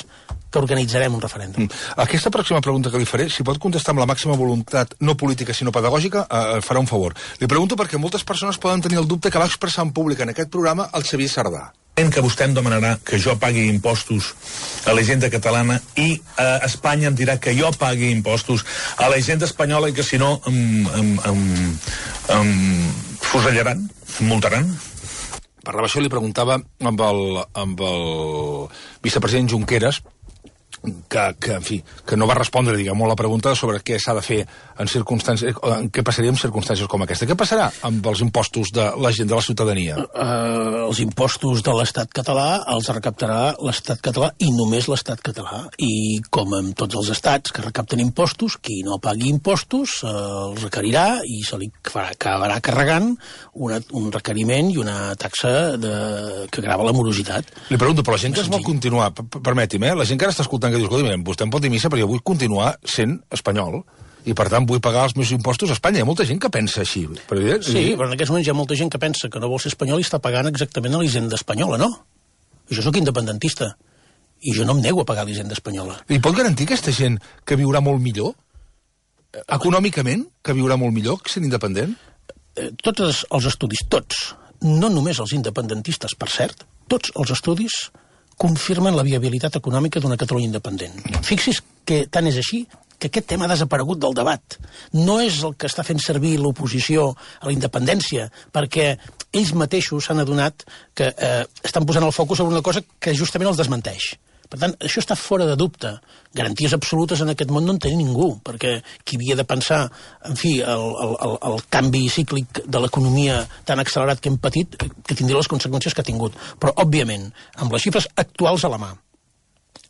que organitzarem un referèndum. Aquesta pròxima pregunta que li faré, si pot contestar amb la màxima voluntat, no política sinó pedagògica, farà un favor. Li pregunto perquè moltes persones poden tenir el dubte que va expressar en públic en aquest programa el Xavier Sardà. Que vostè em demanarà que jo pagui impostos a la hisenda catalana i a Espanya em dirà que jo pagui impostos a la hisenda espanyola i que si no em fusellaran, em multaran. Per això li preguntava amb el vicepresident Junqueras, que, en fi, que no va respondre, diguem, la pregunta sobre què s'ha de fer en circumstàncies, què passaria en circumstàncies com aquesta. Què passarà amb els impostos de la gent, de la ciutadania? Els impostos de l'Estat català els recaptarà l'Estat català i només l'Estat català. I com en tots els estats que recapten impostos, qui no pagui impostos els requerirà i se li acabarà carregant un requeriment i una taxa que grava la morositat. Li pregunto, però la gent que es vol continuar, permeti'm, la gent que ara està escoltant que diu, escolta, vostè em pot dir missa perquè jo vull continuar sent espanyol i per tant vull pagar els meus impostos a Espanya. Hi ha molta gent que pensa així. Sí, però en aquests moments hi ha molta gent que pensa que no vol ser espanyol i està pagant exactament a l'hisenda espanyola, no? Jo sóc independentista i jo no em nego a pagar l'hisenda espanyola. I pot garantir aquesta gent que viurà molt millor? Econòmicament, que viurà molt millor sent independent? Tots els estudis, tots, no només els independentistes, per cert, tots els estudis confirmen la viabilitat econòmica d'una Catalunya independent. Fixi's que tant és així que aquest tema ha desaparegut del debat. No és el que està fent servir l'oposició a la independència, perquè ells mateixos s'han adonat que estan posant el focus sobre una cosa que justament els desmenteix. Per tant, això està fora de dubte. Garanties absolutes en aquest món no en té ningú, perquè qui havia de pensar, en fi, el canvi cíclic de l'economia tan accelerat que hem patit, que tindria les conseqüències que ha tingut. Però, òbviament, amb les xifres actuals a la mà,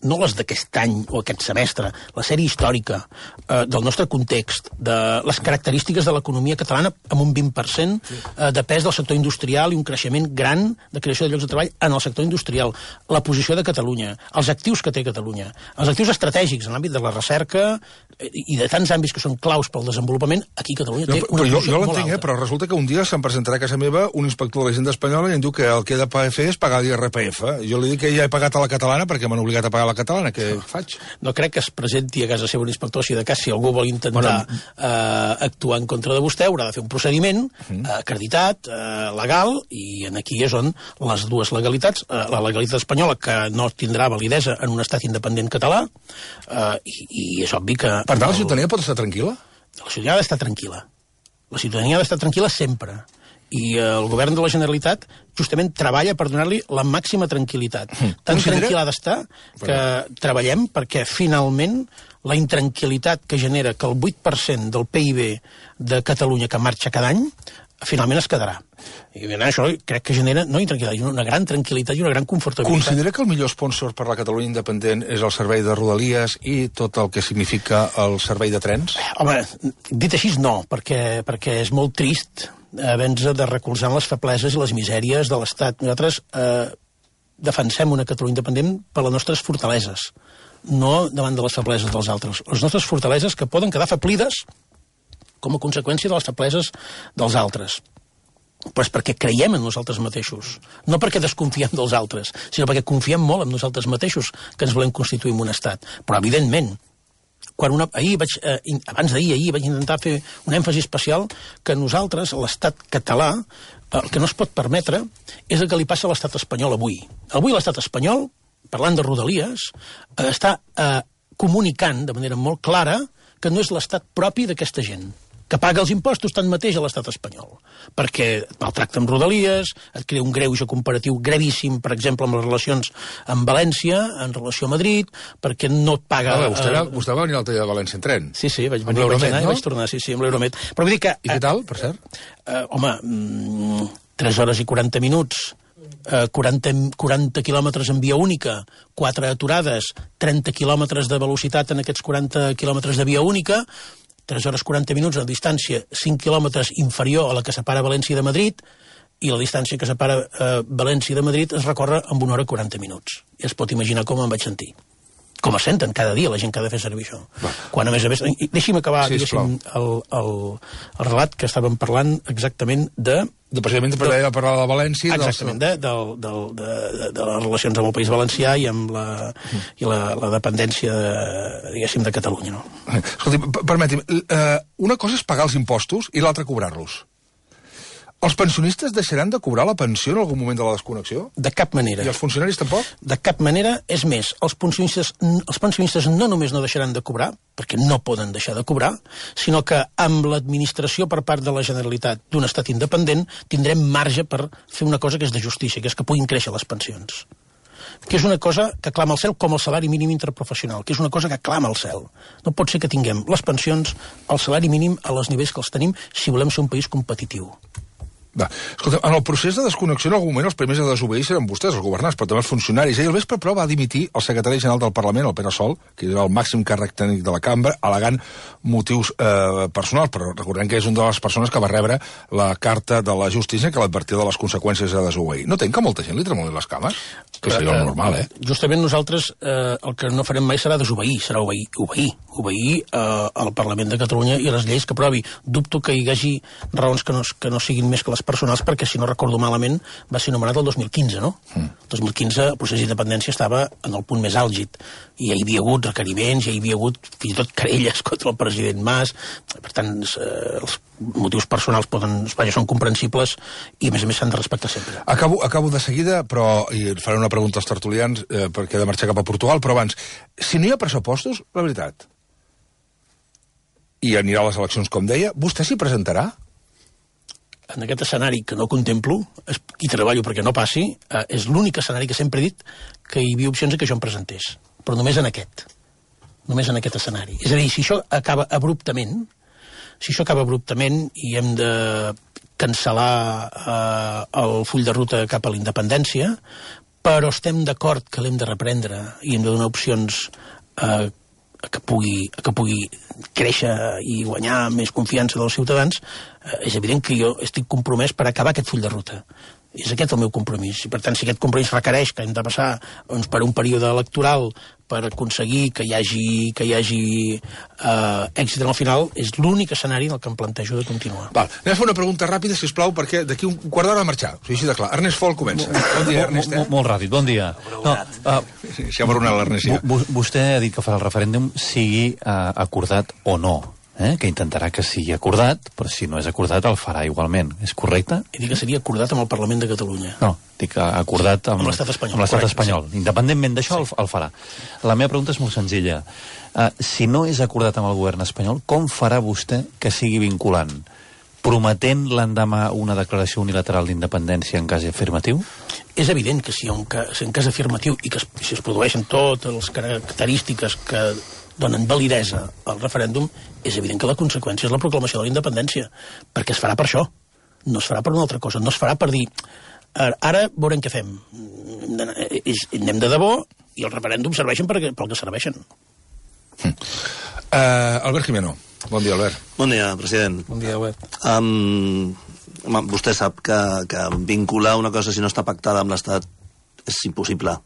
no les d'aquest any o aquest semestre, la sèrie històrica del nostre context, de les característiques de l'economia catalana amb un 20% de pes del sector industrial i un creixement gran de creació de llocs de treball en el sector industrial, la posició de Catalunya, els actius que té Catalunya, els actius estratègics en l'àmbit de la recerca i de tants àmbits que són claus pel desenvolupament, aquí Catalunya té una posició molt alta. Però resulta que un dia se'm presentarà a casa meva un inspector de la Hisenda Espanyola i em diu que el que he de fer és pagar l'IRPF. Jo li dic que ja he pagat a la catalana perquè m'han obligat a pagar la catalana. Què faig? No crec que es presenti a casa seva un inspector, si de cas, si algú vol intentar actuar en contra de vostè, haurà de fer un procediment acreditat, legal, i aquí és on les dues legalitats, la legalitat espanyola, que no tindrà validesa en un estat independent català, i és obvi que... Per tant, la ciutadania pot estar tranquil·la? La ciutadania ha d'estar tranquil·la. La ciutadania ha d'estar tranquil·la sempre. I el govern de la Generalitat justament treballa per donar-li la màxima tranquil·litat. Tan tranquil·la ha d'estar que treballem perquè finalment la intranquil·litat que genera que el 8% del PIB de Catalunya que marxa cada any finalment es quedarà. I això crec que genera no intranquil·litat, una gran tranquil·litat i una gran confortabilitat. Considera que el millor sponsor per la Catalunya independent és el servei de Rodalies i tot el que significa el servei de trens? Home, dit així no, perquè és molt trist haver-nos de recolzar en les febleses i les misèries de l'Estat. Nosaltres defensem una Catalunya independent per les nostres fortaleses, no davant de les febleses dels altres. Les nostres fortaleses que poden quedar afeblides com a conseqüència de les febleses dels altres. Però és perquè creiem en nosaltres mateixos, no perquè desconfiem dels altres, sinó perquè confiem molt en nosaltres mateixos que ens volem constituir en un estat. Però, evidentment, abans d'ahir vaig intentar fer un èmfasi especial que nosaltres, l'estat català, el que no es pot permetre és el que li passa a l'estat espanyol avui. Avui l'estat espanyol, parlant de Rodalies, està comunicant de manera molt clara que no és l'estat propi d'aquesta gent, que paga els impostos tanmateix a l'estat espanyol, perquè et maltracta amb Rodalies, et crea un greuge comparatiu gravíssim, per exemple, amb les relacions amb València, en relació a Madrid, perquè no et paga... Vostè va venir l'altre dia de València en tren? Sí, vaig venir, vaig tornar, amb l'Euromed. Però vull dir que... I què tal, per cert? Home, 3 hores i 40 minuts, 40 quilòmetres en via única, 4 aturades, 30 quilòmetres de velocitat en aquests 40 quilòmetres de via única, 3 hores 40 minuts a distància 5 quilòmetres inferior a la que separa València de Madrid, i la distància que separa València de Madrid es recorre amb 1 hora 40 minuts. I es pot imaginar com em vaig sentir. Com es senten cada dia la gent que ha de fer servir això. Quan, a més, deixi'm acabar, diguéssim, el relat que estàvem parlant exactament de... Precisament per parlar de València... Exactament, de les relacions amb el País Valencià i amb la dependència, diguéssim, de Catalunya, no? Escolti, permeti'm, una cosa és pagar els impostos i l'altra cobrar-los. Els pensionistes deixaran de cobrar la pensió en algun moment de la desconnexió? De cap manera. I els funcionaris tampoc? De cap manera. És més, els pensionistes no només no deixaran de cobrar, perquè no poden deixar de cobrar, sinó que amb l'administració per part de la Generalitat d'un estat independent tindrem marge per fer una cosa que és de justícia, que és que puguin créixer les pensions. Que és una cosa que clama al cel com el salari mínim interprofessional, que és una cosa que clama al cel. No pot ser que tinguem les pensions, el salari mínim a els nivells que els tenim si volem ser un país competitiu. Va. Escolta, en el procés de desconnexió en algun moment els primers a desobeir seran vostès, els governants, però també els funcionaris. Ahir al vespre, però, va dimitir el secretari general del Parlament, el Pere Sol, que era el màxim càrrec tècnic de la cambra, al·legant motius personals, però recordem que és una de les persones que va rebre la carta de la justícia que l'advertia de les conseqüències de desobeir. No tenc que molta gent li tremolin les cames? Que seria el normal, Justament nosaltres el que no farem mai serà desobeir, serà obeir al Parlament de Catalunya i a les lleis que aprovi. Dubto que hi hagi raons que no siguin més que les personals, perquè si no recordo malament va ser nomenat el 2015, no? El 2015 el procés d'independència estava en el punt més àlgid i hi havia hagut requeriments, hi havia hagut fins i tot querelles contra el president Mas. Per tant, els motius personals són comprensibles i a més s'han de respectar sempre. Acabo de seguida, però faré una pregunta als tertulians perquè he de marxar cap a Portugal, però abans, si no hi ha pressupostos, la veritat, i anirà a les eleccions, com deia, vostè s'hi presentarà? En aquest escenari que no contemplo, i treballo perquè no passi, és l'únic escenari que sempre he dit que hi havia opcions que jo em presentés. Però només en aquest escenari. És a dir, si això acaba abruptament i hem de cancel·lar el full de ruta cap a la independència, però estem d'acord que l'hem de reprendre i hem de donar opcions que pugui créixer i guanyar més confiança dels ciutadans, és evident que jo estic compromès per acabar aquest full de ruta. És aquest el meu compromís. I, per tant, si aquest compromís requereix que hem de passar per un període electoral per aconseguir que hi hagi èxit en el final, és l'únic escenari en el que em plantejo de continuar. Val. Anem a fer una pregunta ràpida, sisplau, perquè d'aquí un quart d'hora ha de marxar. O sigui, així de clar. Ernest Fol comença. Bon dia, Ernest. Molt ràpid, bon dia. Si ha baronat l'Ernest, ja. Vostè ha dit que farà el referèndum sigui acordat o no. Que intentarà que sigui acordat, però si no és acordat el farà igualment. És correcte? He dit que seria acordat amb el Parlament de Catalunya. No, dic acordat amb l'Estat espanyol. Amb l'Estat espanyol. Sí. Independentment d'això, el farà. La meva pregunta és molt senzilla. Si no és acordat amb el govern espanyol, com farà vostè que sigui vinculant? Prometent l'endemà una declaració unilateral d'independència en cas afirmatiu? És evident que si en cas afirmatiu i que si es produeixen totes les característiques que donen validesa al referèndum, és evident que la conseqüència és la proclamació de la independència, perquè es farà per això, no es farà per una altra cosa, no es farà per dir ara veurem què fem, anem de debò i els referèndums serveixen pel que serveixen. Albert Jimeno. Bon dia, Albert. Bon dia, president. Bon dia, Albert. Vostè sap que vincular una cosa si no està pactada amb l'Estat és impossible.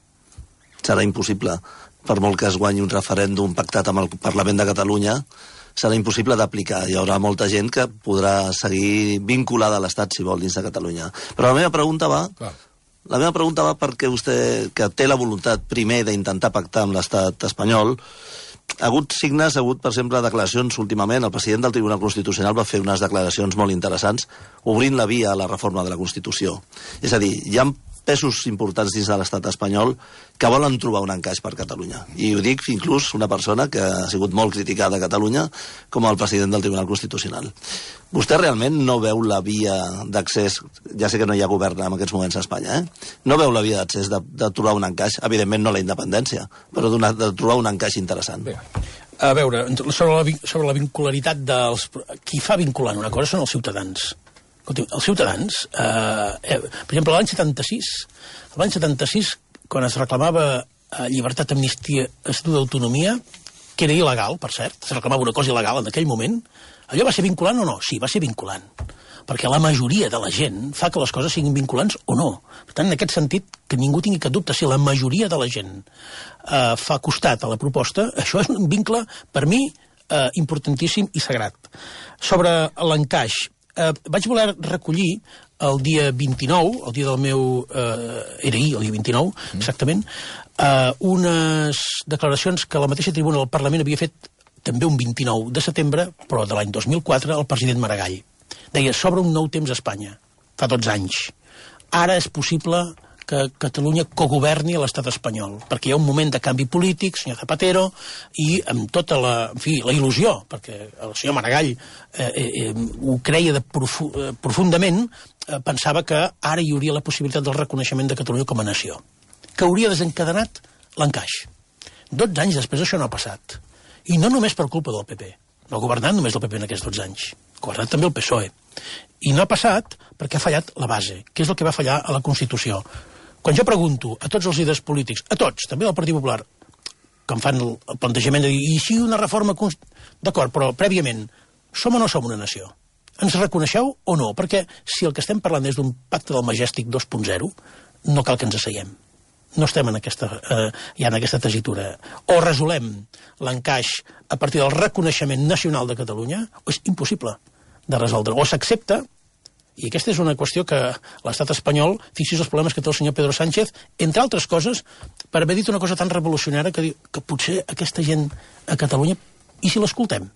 Serà impossible. Per molt que es guanyi un referèndum pactat amb el Parlament de Catalunya, serà impossible d'aplicar. Hi haurà molta gent que podrà seguir vinculada a l'Estat, si vol, dins de Catalunya. Però la meva pregunta va perquè vostè, que té la voluntat primer d'intentar pactar amb l'Estat espanyol, ha hagut signes, per exemple, declaracions últimament. El president del Tribunal Constitucional va fer unes declaracions molt interessants obrint la via a la reforma de la Constitució. És a dir, hi ha pesos importants dins de l'estat espanyol que volen trobar un encaix per Catalunya. I ho dic inclús una persona que ha sigut molt criticada a Catalunya com el president del Tribunal Constitucional. Vostè realment no veu la via d'accés, ja sé que no hi ha govern en aquests moments a Espanya, no veu la via d'accés de trobar un encaix, evidentment no la independència, però de trobar un encaix interessant. Bé. A veure, sobre la vincularitat dels... Qui fa vinculant una cosa són els ciutadans. Els ciutadans, per exemple, l'any 76, quan es reclamava llibertat, amnistia, estatut d'autonomia, que era il·legal, per cert, es reclamava una cosa il·legal en aquell moment, allò va ser vinculant o no? Sí, va ser vinculant, perquè la majoria de la gent fa que les coses siguin vinculants o no. Per tant, en aquest sentit, que ningú tingui cap dubte, si la majoria de la gent fa costat a la proposta, això és un vincle, per mi, importantíssim i sagrat. Sobre l'encaix, vaig voler recollir el dia 29, el dia del meu... era ahir, el dia 29, exactament, unes declaracions que la mateixa tribuna del Parlament havia fet també un 29 de setembre, però de l'any 2004, el president Maragall. Deia, s'obre un nou temps a Espanya, fa 12 anys. Ara és possible que Catalunya cogoverni a l'estat espanyol, perquè hi ha un moment de canvi polític, senyor Zapatero, i amb tota la il·lusió, perquè el senyor Maragall ho creia profundament, pensava que ara hi hauria la possibilitat del reconeixement de Catalunya com a nació, que hauria desencadenat l'encaix. 12 anys després això no ha passat. I no només per culpa del PP. No ha governat només el PP en aquests 12 anys. Ha governat també el PSOE. I no ha passat perquè ha fallat la base, que és el que va fallar a la Constitució. Quan jo pregunto a tots els líders polítics, a tots, també del Partit Popular, que em fan el plantejament de dir, i si una reforma... D'acord, però prèviament, som o no som una nació? Ens reconeixeu o no? Perquè si el que estem parlant és d'un pacte del Majestic 2.0, no cal que ens asseiem. No estem en aquesta tessitura. O resolem l'encaix a partir del reconeixement nacional de Catalunya, o és impossible de resoldre. O s'accepta, i aquesta és una qüestió que l'estat espanyol, fixi's els problemes que té el senyor Pedro Sánchez, entre altres coses, per haver dit una cosa tan revolucionària que diu que potser aquesta gent a Catalunya, i si l'escoltem?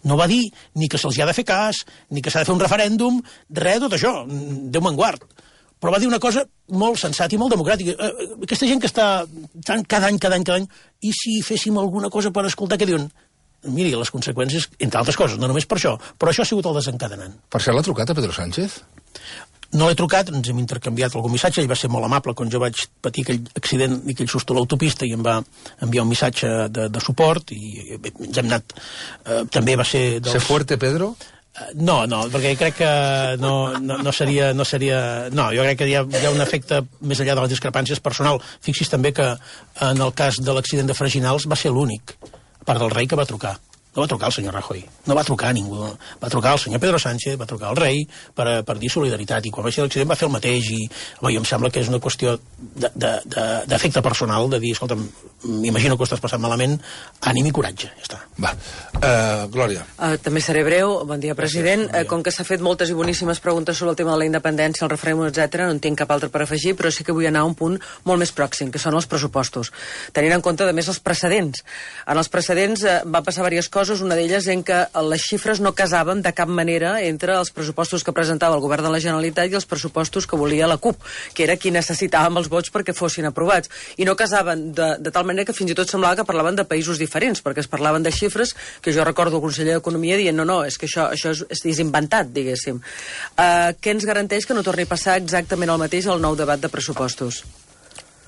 No va dir ni que se'ls ha de fer cas, ni que s'ha de fer un referèndum, res de tot això, Déu me'n guard. Però va dir una cosa molt sensata i molt democràtica. Aquesta gent que està cada any, i si féssim alguna cosa per escoltar què diuen? Miri, les conseqüències, entre altres coses, no només per això, però això ha sigut el desencadenant. Per cert, l'ha trucat a Pedro Sánchez? No l'he trucat, ens hem intercanviat algun missatge, ell va ser molt amable quan jo vaig patir aquell accident i aquell susto a l'autopista i em va enviar un missatge de suport i ens hem anat... també va ser... Ser fuerte, Pedro? No, perquè crec que no seria... No, jo crec que hi ha un efecte més enllà de les discrepàncies personal. Fixi's també que en el cas de l'accident de Freginals va ser l'únic, a part del rei, que va trucar. No va trucar el senyor Rajoy, no va trucar a ningú. Va trucar el senyor Pedro Sánchez, va trucar al rei per dir solidaritat, i quan va ser l'accident va fer el mateix, i jo em sembla que és una qüestió d'efecte personal, de dir, escolta'm, m'imagino que ho estàs passant malament, ànim i coratge, ja està. Va, Glòria. També seré breu, bon dia, president. Bon dia. Com que s'ha fet moltes i boníssimes preguntes sobre el tema de la independència, el referèndum, etc., no en tinc cap altre per afegir, però sí que vull anar a un punt molt més pròxim, que són els pressupostos. Tenint en compte, a més, els precedents. En els precedents va passar diverses coses, una d'elles en què les xifres no casaven de cap manera entre els pressupostos que presentava el govern de la Generalitat i els pressupostos que volia la CUP, que era qui necessitàvem els vots perquè fossin aprovats. I no casaven de tal manera que fins i tot semblava que parlaven de països diferents, perquè es parlaven de xifres que jo recordo el conseller d'Economia dient no, és que això és inventat, diguéssim. Què ens garanteix que no torni a passar exactament el mateix al nou debat de pressupostos?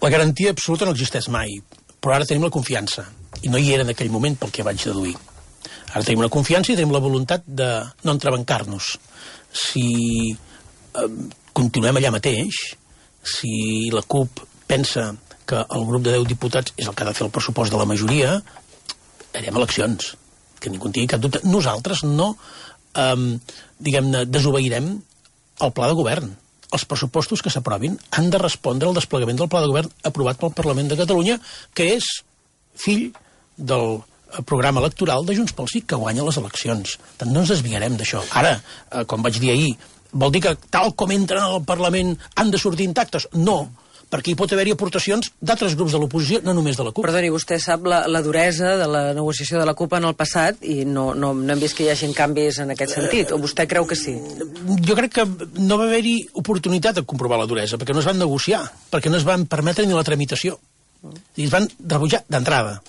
La garantia absoluta no existeix mai, però ara tenim la confiança, i no hi era en aquell moment pel que vaig deduir. Ara tenim una confiança i tenim la voluntat de no entrebancar-nos. Si continuem allà mateix, si la CUP pensa que el grup de 10 diputats és el que ha de fer el pressupost de la majoria, anirem a eleccions, que ningú en tingui cap dubte. Nosaltres no, diguem-ne, desobeirem el pla de govern. Els pressupostos que s'aprovin han de respondre al desplegament del pla de govern aprovat pel Parlament de Catalunya, que és fill del programa electoral de Junts pel Sí, que guanya les eleccions. Tant no ens desviarem d'això. Ara, com vaig dir ahir, vol dir que tal com entren al Parlament han de sortir intactes? No, perquè hi pot haver-hi aportacions d'altres grups de l'oposició, no només de la CUP. Perdoni, vostè sap la duresa de la negociació de la CUP en el passat i no hem vist que hi hagin canvis en aquest sentit, o vostè creu que sí? Jo crec que no va haver-hi oportunitat de comprovar la duresa, perquè no es van negociar, perquè no es van permetre ni la tramitació. I es van rebutjar d'entrada.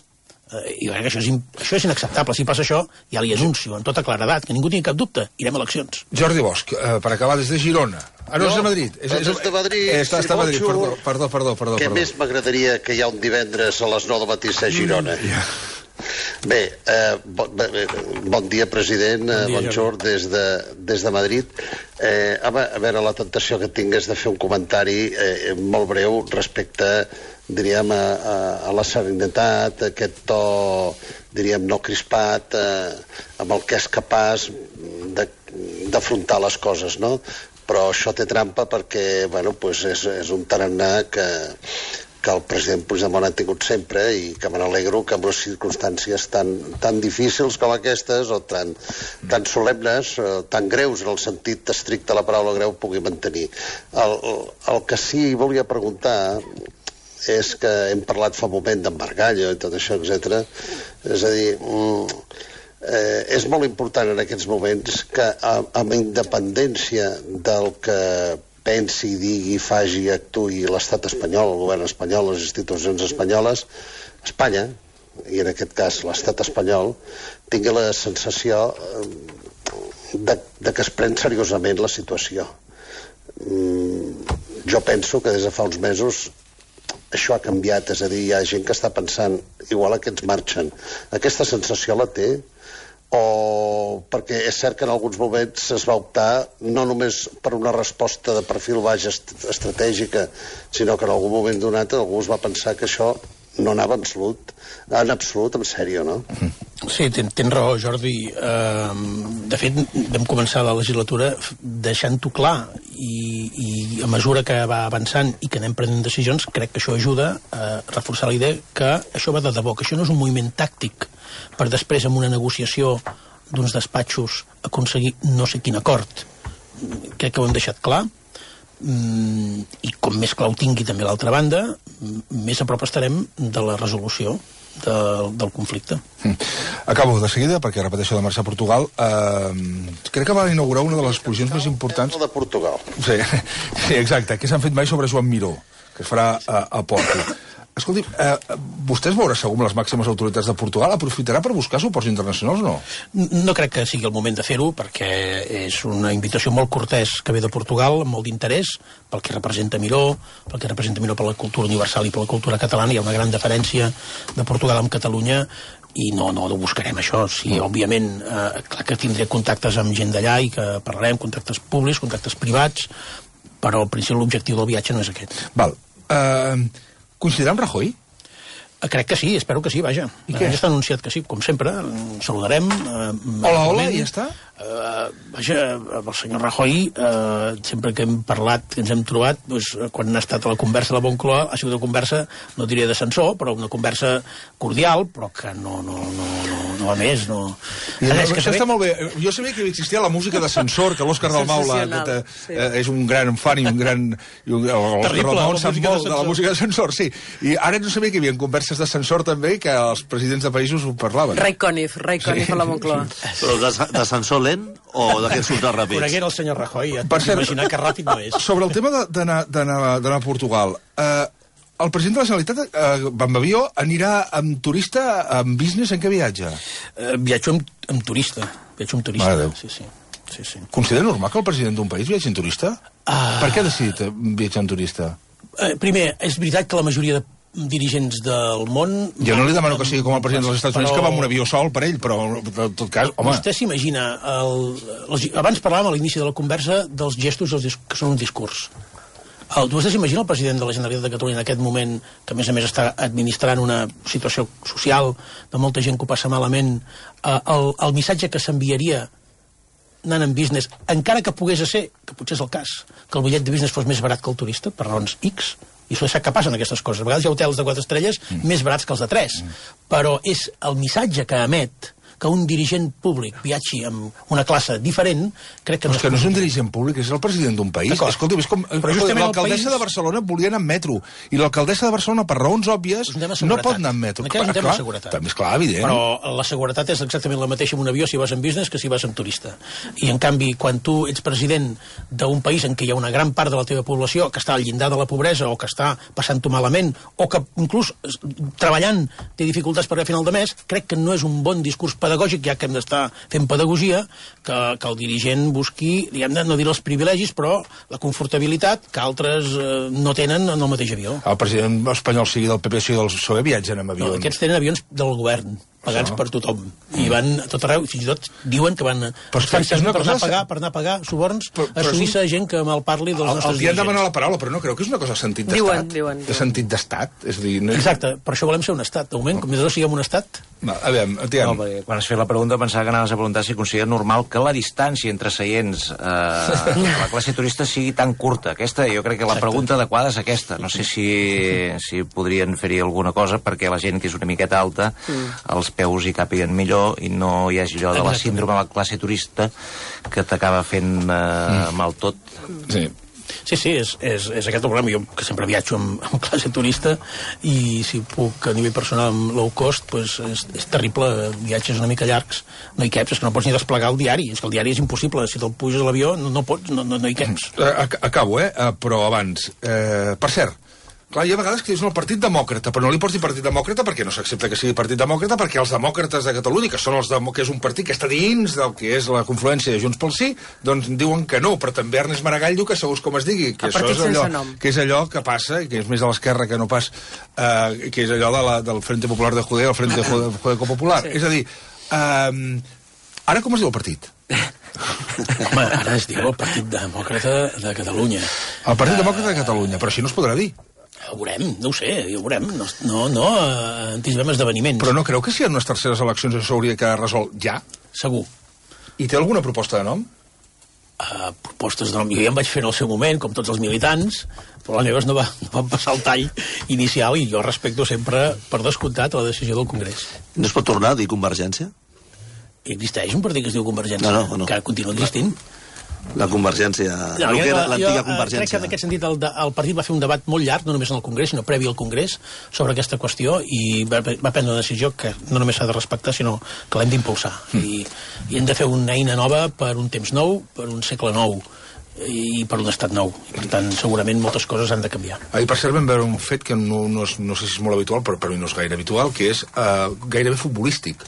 I jo crec que això és inacceptable. Si passa això, ja li anuncio amb tota claredat, que ningú tingui cap dubte, irem a eleccions. Jordi Bosch, per acabar, des de Girona. No, és de Madrid. Des de Madrid. Està a Madrid, perdó. Què més m'agradaria que hi ha un divendres a les 9 del matí a Girona? Bé, bon dia, president, bonjour, des de Madrid. A veure, la tentació que tinc és de fer un comentari molt breu respecte, diríem, a la serenitat, aquest to, diríem, no crispat, amb el que és capaç d'afrontar les coses, no? Però això té trampa perquè, bueno, pues és un tarannà que el president Puigdemont ha tingut sempre i que me n'alegro que en unes circumstàncies tan difícils com aquestes o tan solemnes, tan greus en el sentit estricte de la paraula greu, pugui mantenir. El que sí volia preguntar és que hem parlat fa un moment d'embargallo i tot això, etc. És a dir, és molt important en aquests moments que amb independència del que pensi, digui, faci, actui l'estat espanyol, el govern espanyol, les institucions espanyoles, Espanya, i en aquest cas l'estat espanyol, tingui la sensació de que es pren seriosament la situació. Jo penso que des de fa uns mesos això ha canviat, és a dir, hi ha gent que està pensant igual a que ens marxen. Aquesta sensació la té, o perquè és cert que en alguns moments es va optar no només per una resposta de perfil baix estratègica, sinó que en algun moment donat algú es va pensar que això no anava en absolut, en sèrio, no? Sí, tens raó, Jordi. De fet, vam començar la legislatura deixant-ho clar i a mesura que va avançant i que anem prenent decisions, crec que això ajuda a reforçar la idea que això va de debò, que això no és un moviment tàctic per després, amb una negociació d'uns despatxos, aconseguir no sé quin acord. Crec que ho hem deixat clar. I com més clar ho tingui també l'altra banda, més a prop estarem de la resolució del conflicte. Acabo de seguida, perquè repeteixo de marxar a Portugal. Crec que va inaugurar una de les exposicions més importants... de Portugal. Sí, exacte, que s'han fet mai sobre Joan Miró, que es farà a Porto. Escolti, vostè es veurà segur amb les màximes autoritats de Portugal? Aprofitarà per buscar suports internacionals o no? No crec que sigui el moment de fer-ho, perquè és una invitació molt cortès que ve de Portugal, amb molt d'interès, pel que representa Miró, pel que representa Miró per la cultura universal i per la cultura catalana. Hi ha una gran diferència de Portugal amb Catalunya i no ho buscarem, això. Sí, òbviament, clar que tindré contactes amb gent d'allà i que parlarem, contactes públics, contactes privats, però al principi l'objectiu del viatge no és aquest. Val. Coincidirà amb Rajoy? Crec que sí, espero que sí, vaja. I què? Ja està anunciat que sí, com sempre, saludarem. Hola, i ja està? Vaja, el senyor Rajoy, sempre que hem parlat, que ens hem trobat, doncs, quan ha estat a la conversa de la Moncloa, ha sigut una conversa, no diré d'ascensor, però una conversa cordial, però que no va més, no... Això està molt bé. Jo sabia que existia la música d'ascensor, que l'Òscar Dalmau és un gran fan i un gran... Terrible, la música d'ascensor. De la música d'ascensor, sí. I ara no sabia que hi havia converses d'ascensor també i que els presidents de països ho parlaven. Ray Conniff a la Moncloa. Però d'ascensor lent o d'aquests ultra ràpids? Coneguera el senyor Rajoy, Per cert, imaginar que ràpid no és. Sobre el tema d'anar a Portugal, el president de la Generalitat va amb avió, anirà amb turista, amb business, en què viatja? Viatjo amb turista. Mare Déu. Sí. Considera normal que el president d'un país viatgi en turista? Per què ha decidit viatjar en turista? Primer, és veritat que la majoria de dirigents del món... Jo no li demano que sigui com el president dels Estats Units, que va amb un avió sol per ell, però en tot cas, home... Vostè s'imagina... Abans parlàvem a l'inici de la conversa dels gestos que són un discurs. Vostè s'imagina el president de la Generalitat de Catalunya en aquest moment, que a més està administrant una situació social de molta gent que ho passa malament, el missatge que s'enviaria anant en business, encara que pogués ser, que potser és el cas, que el bitllet de business fos més barat que el turista, per raons X, i això sap que passen aquestes coses. A vegades hi ha hotels de 4 estrelles més barats que els de 3, però és el missatge que emet que un dirigent públic viatgi amb una classe diferent, crec que no és... que no és un dirigent públic, és el president d'un país. Escolta, és com... L'alcaldessa de Barcelona volia anar en metro, i l'alcaldessa de Barcelona, per raons òbvies, no pot anar en metro. És un tema de seguretat. També és clar, evident. Però la seguretat és exactament la mateixa en un avió si vas en business que si vas en turista. I, en canvi, quan tu ets president d'un país en què hi ha una gran part de la teva població que està al llindar de la pobresa o que està passant-ho malament o que, inclús, treballant té dificultats per a final de mes, crec que no és un bon discurs pedagògic, ja que hem d'estar fent pedagogia, que el dirigent busqui, diguem-ne, no dir els privilegis, però la confortabilitat que altres no tenen en el mateix avió. El president espanyol, sigui del PP, sigui del PSOE, viatgen amb avions. No, aquests tenen avions del govern, pagats per tothom. I van a tot arreu, fins i tot diuen que van per anar a pagar suborns a Suïssa gent que mal parli dels nostres dirigents. El dia han demanat la paraula, però no creu que és una cosa de sentit d'estat. De sentit d'estat. Exacte, per això volem ser un estat. De moment, com més no siguem un estat... A veure, quan has fet la pregunta pensava que anaves a preguntar si considera normal que la distància entre seients a la classe turista sigui tan curta. Aquesta, jo crec que la pregunta adequada és aquesta. No sé si podrien fer-hi alguna cosa perquè la gent que és una miqueta alta els peus hi càpiguen millor i no hi hagi allò de la síndrome de la classe turista que t'acaba fent mal tot. Sí, és aquest el problema. Jo, que sempre viatjo amb classe turista, i si puc a nivell personal amb low cost, doncs és terrible. Viatges una mica llargs, no hi caps, és que no pots ni desplegar el diari. És que el diari és impossible. Si te'l puges a l'avió, no pots, no hi caps. Acabo, però abans. Per cert, clar, hi ha vegades que és el Partit Demòcrata, però no li pots dir Partit Demòcrata perquè no s'accepta que sigui Partit Demòcrata, perquè els demòcrates de Catalunya, que són que és un partit que està dins del que és la confluència de Junts pel Sí, doncs diuen que no, però també Ernest Maragall diu que segons com es digui, que això és allò que passa, i que és més a l'esquerra que no pas, que és allò del Frente Popular de Judea, el Frente Judeco Popular. És a dir, ara com es diu el partit? Home, ara es diu el Partit Demòcrata de Catalunya. El Partit Demòcrata de Catalunya, però així no es podrà dir. Ho veurem, no ho sé, ho veurem. No anticipem esdeveniments. Però no creu que si hi ha unes terceres eleccions això s'hauria de quedar resolt ja? Segur. I té alguna proposta de nom? Propostes de nom. Jo ja em vaig fer en el seu moment, com tots els militants, però les meves no van passar el tall inicial i jo respecto sempre, per descomptat, la decisió del Congrés. No es pot tornar a dir Convergència? Existeix un partit que es diu Convergència, no. que continua existint. La Convergència, l'antiga Convergència. Crec que en aquest sentit el partit va fer un debat molt llarg, no només en el Congrés, sinó previ al Congrés, sobre aquesta qüestió, i va prendre una decisió que no només s'ha de respectar, sinó que l'hem d'impulsar. I hem de fer una eina nova per un temps nou, per un segle nou, i per un estat nou. I, per tant, segurament moltes coses han de canviar. I per cert vam veure un fet que no sé si és molt habitual, però per mi no és gaire habitual, que és gairebé futbolístic,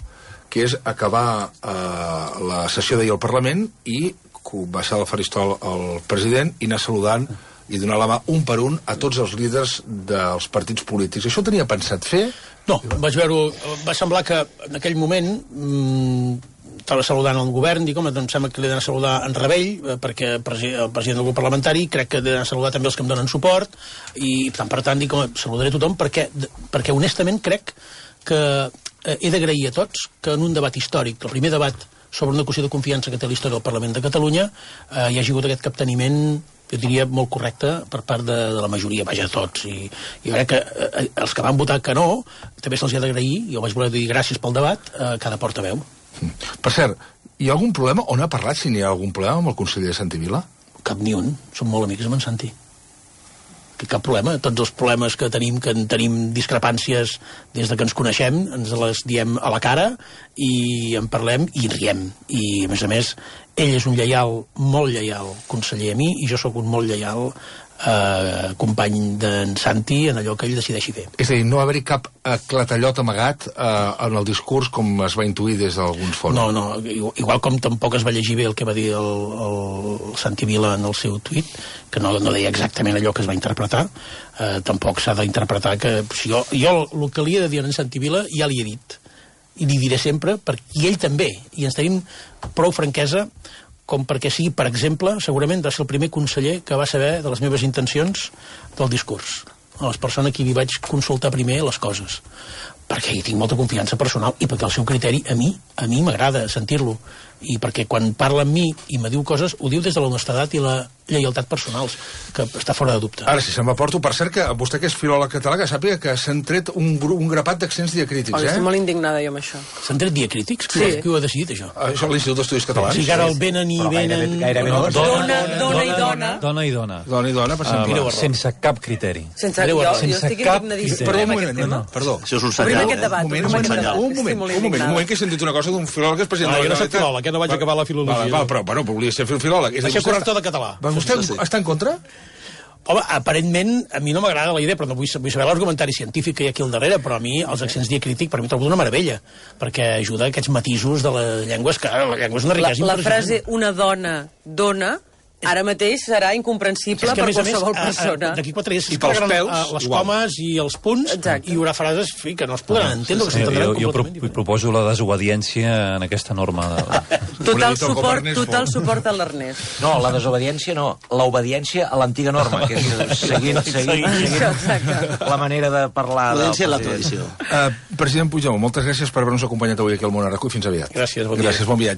que és acabar la sessió d'ahir al Parlament i baixar del faristol el president i anar saludant i donar la mà un per un a tots els líders dels partits polítics. Això ho tenia pensat fer? No, vaig veure... Va semblar que en aquell moment estava saludant el govern, dic, home, em sembla que li he d'anar a saludar en Rebell, perquè el president del grup parlamentari, crec que he d'anar a saludar també els que em donen suport, i per tant dic, home, saludaré tothom, perquè honestament crec que he d'agrair a tots que en un debat històric, el primer debat sobre una qüestió de confiança que té la història del Parlament de Catalunya, hi ha hagut aquest capteniment, jo diria, molt correcte per part de la majoria, vaja, de tots. I jo crec que els que van votar que no, també se'ls ha d'agrair, jo vaig voler dir gràcies pel debat, cada portaveu. Per cert, hi ha algun problema, on ha parlat, si n'hi ha algun problema amb el conseller Santi Vila? Cap ni un, som molt amics amb en Santi. Cap problema, tots els problemes que en tenim discrepàncies des de que ens coneixem, ens les diem a la cara i en parlem i riem. I a més, ell és un lleial, molt lleial conseller a mi, i jo sóc un molt lleial company d'en Santi en allò que ell decideixi fer. És a dir, no haver-hi cap clatallot amagat en el discurs com es va intuir des d'alguns fons. No, igual com tampoc es va llegir bé el que va dir el Santi Vila en el seu tuit, que no deia exactament allò que es va interpretar, tampoc s'ha d'interpretar que... Jo el que li he de dir a en Santi Vila ja li he dit, i li diré sempre, i ell també, i ens tenim prou franquesa com perquè sigui, per exemple, segurament va ser el primer conseller que va saber de les meves intencions del discurs. A les persones que li vaig consultar primer les coses. Perquè hi tinc molta confiança personal i perquè el seu criteri a mi m'agrada sentir-lo. I perquè quan parla amb mi i me diu coses, ho diu des de l'honestedat i la lleialtat personals, que està fora de dubte. Ara sí, se'n m'aporto. Per cert, que vostè que és filòleg català, que sàpiga que s'han tret un grapat d'accents diacrítics, Estic molt indignada jo amb això. S'han tret diacrítics? Sí. Qui ho ha decidit, això? Això és l'Institut d'Estudis Catalans. O sigui, ara el venen i venen... Gairebé no. Dona i dona. Dona i dona. Dona i dona, per exemple. Sense cap criteri. Jo estic indignadíssima. Perdó, un moment, perdó. Això és un Obrim senyal. aquest debat. Un moment, que he sentit una cosa d'un filòleg que és president de la Jo no soc filòleg, que no vaig acabar la filologia. Val, però, bueno, volia ser filòleg. Vaig ser corrector de català. Vostè està en contra? Home, aparentment, a mi no m'agrada la idea, però no vull saber l'argumentari científic que hi ha aquí al darrere, però a mi els accents diacrítics per mi trobo una meravella, perquè ajuda a aquests matisos de les llengües, que la llengua és una riquesa La impressionant. frase una dona dona ara mateix serà incomprensible per qualsevol persona. D'aquí 4 dies I pels pèls, les igual. comes i els punts, Exacte. i hi haurà frases que no es podran entendre, que s'entendran Jo completament proposo la desobediència en aquesta norma. Total suport a l'Ernest. No, la desobediència no, l'obediència a l'antiga norma, que és seguint la manera de parlar. L'obediència a la tradició. President Puigdemont, moltes gràcies per haver-nos acompanyat avui aquí al Món a RAC1 i fins aviat. Gràcies, bon dia. Gràcies, bon viatge.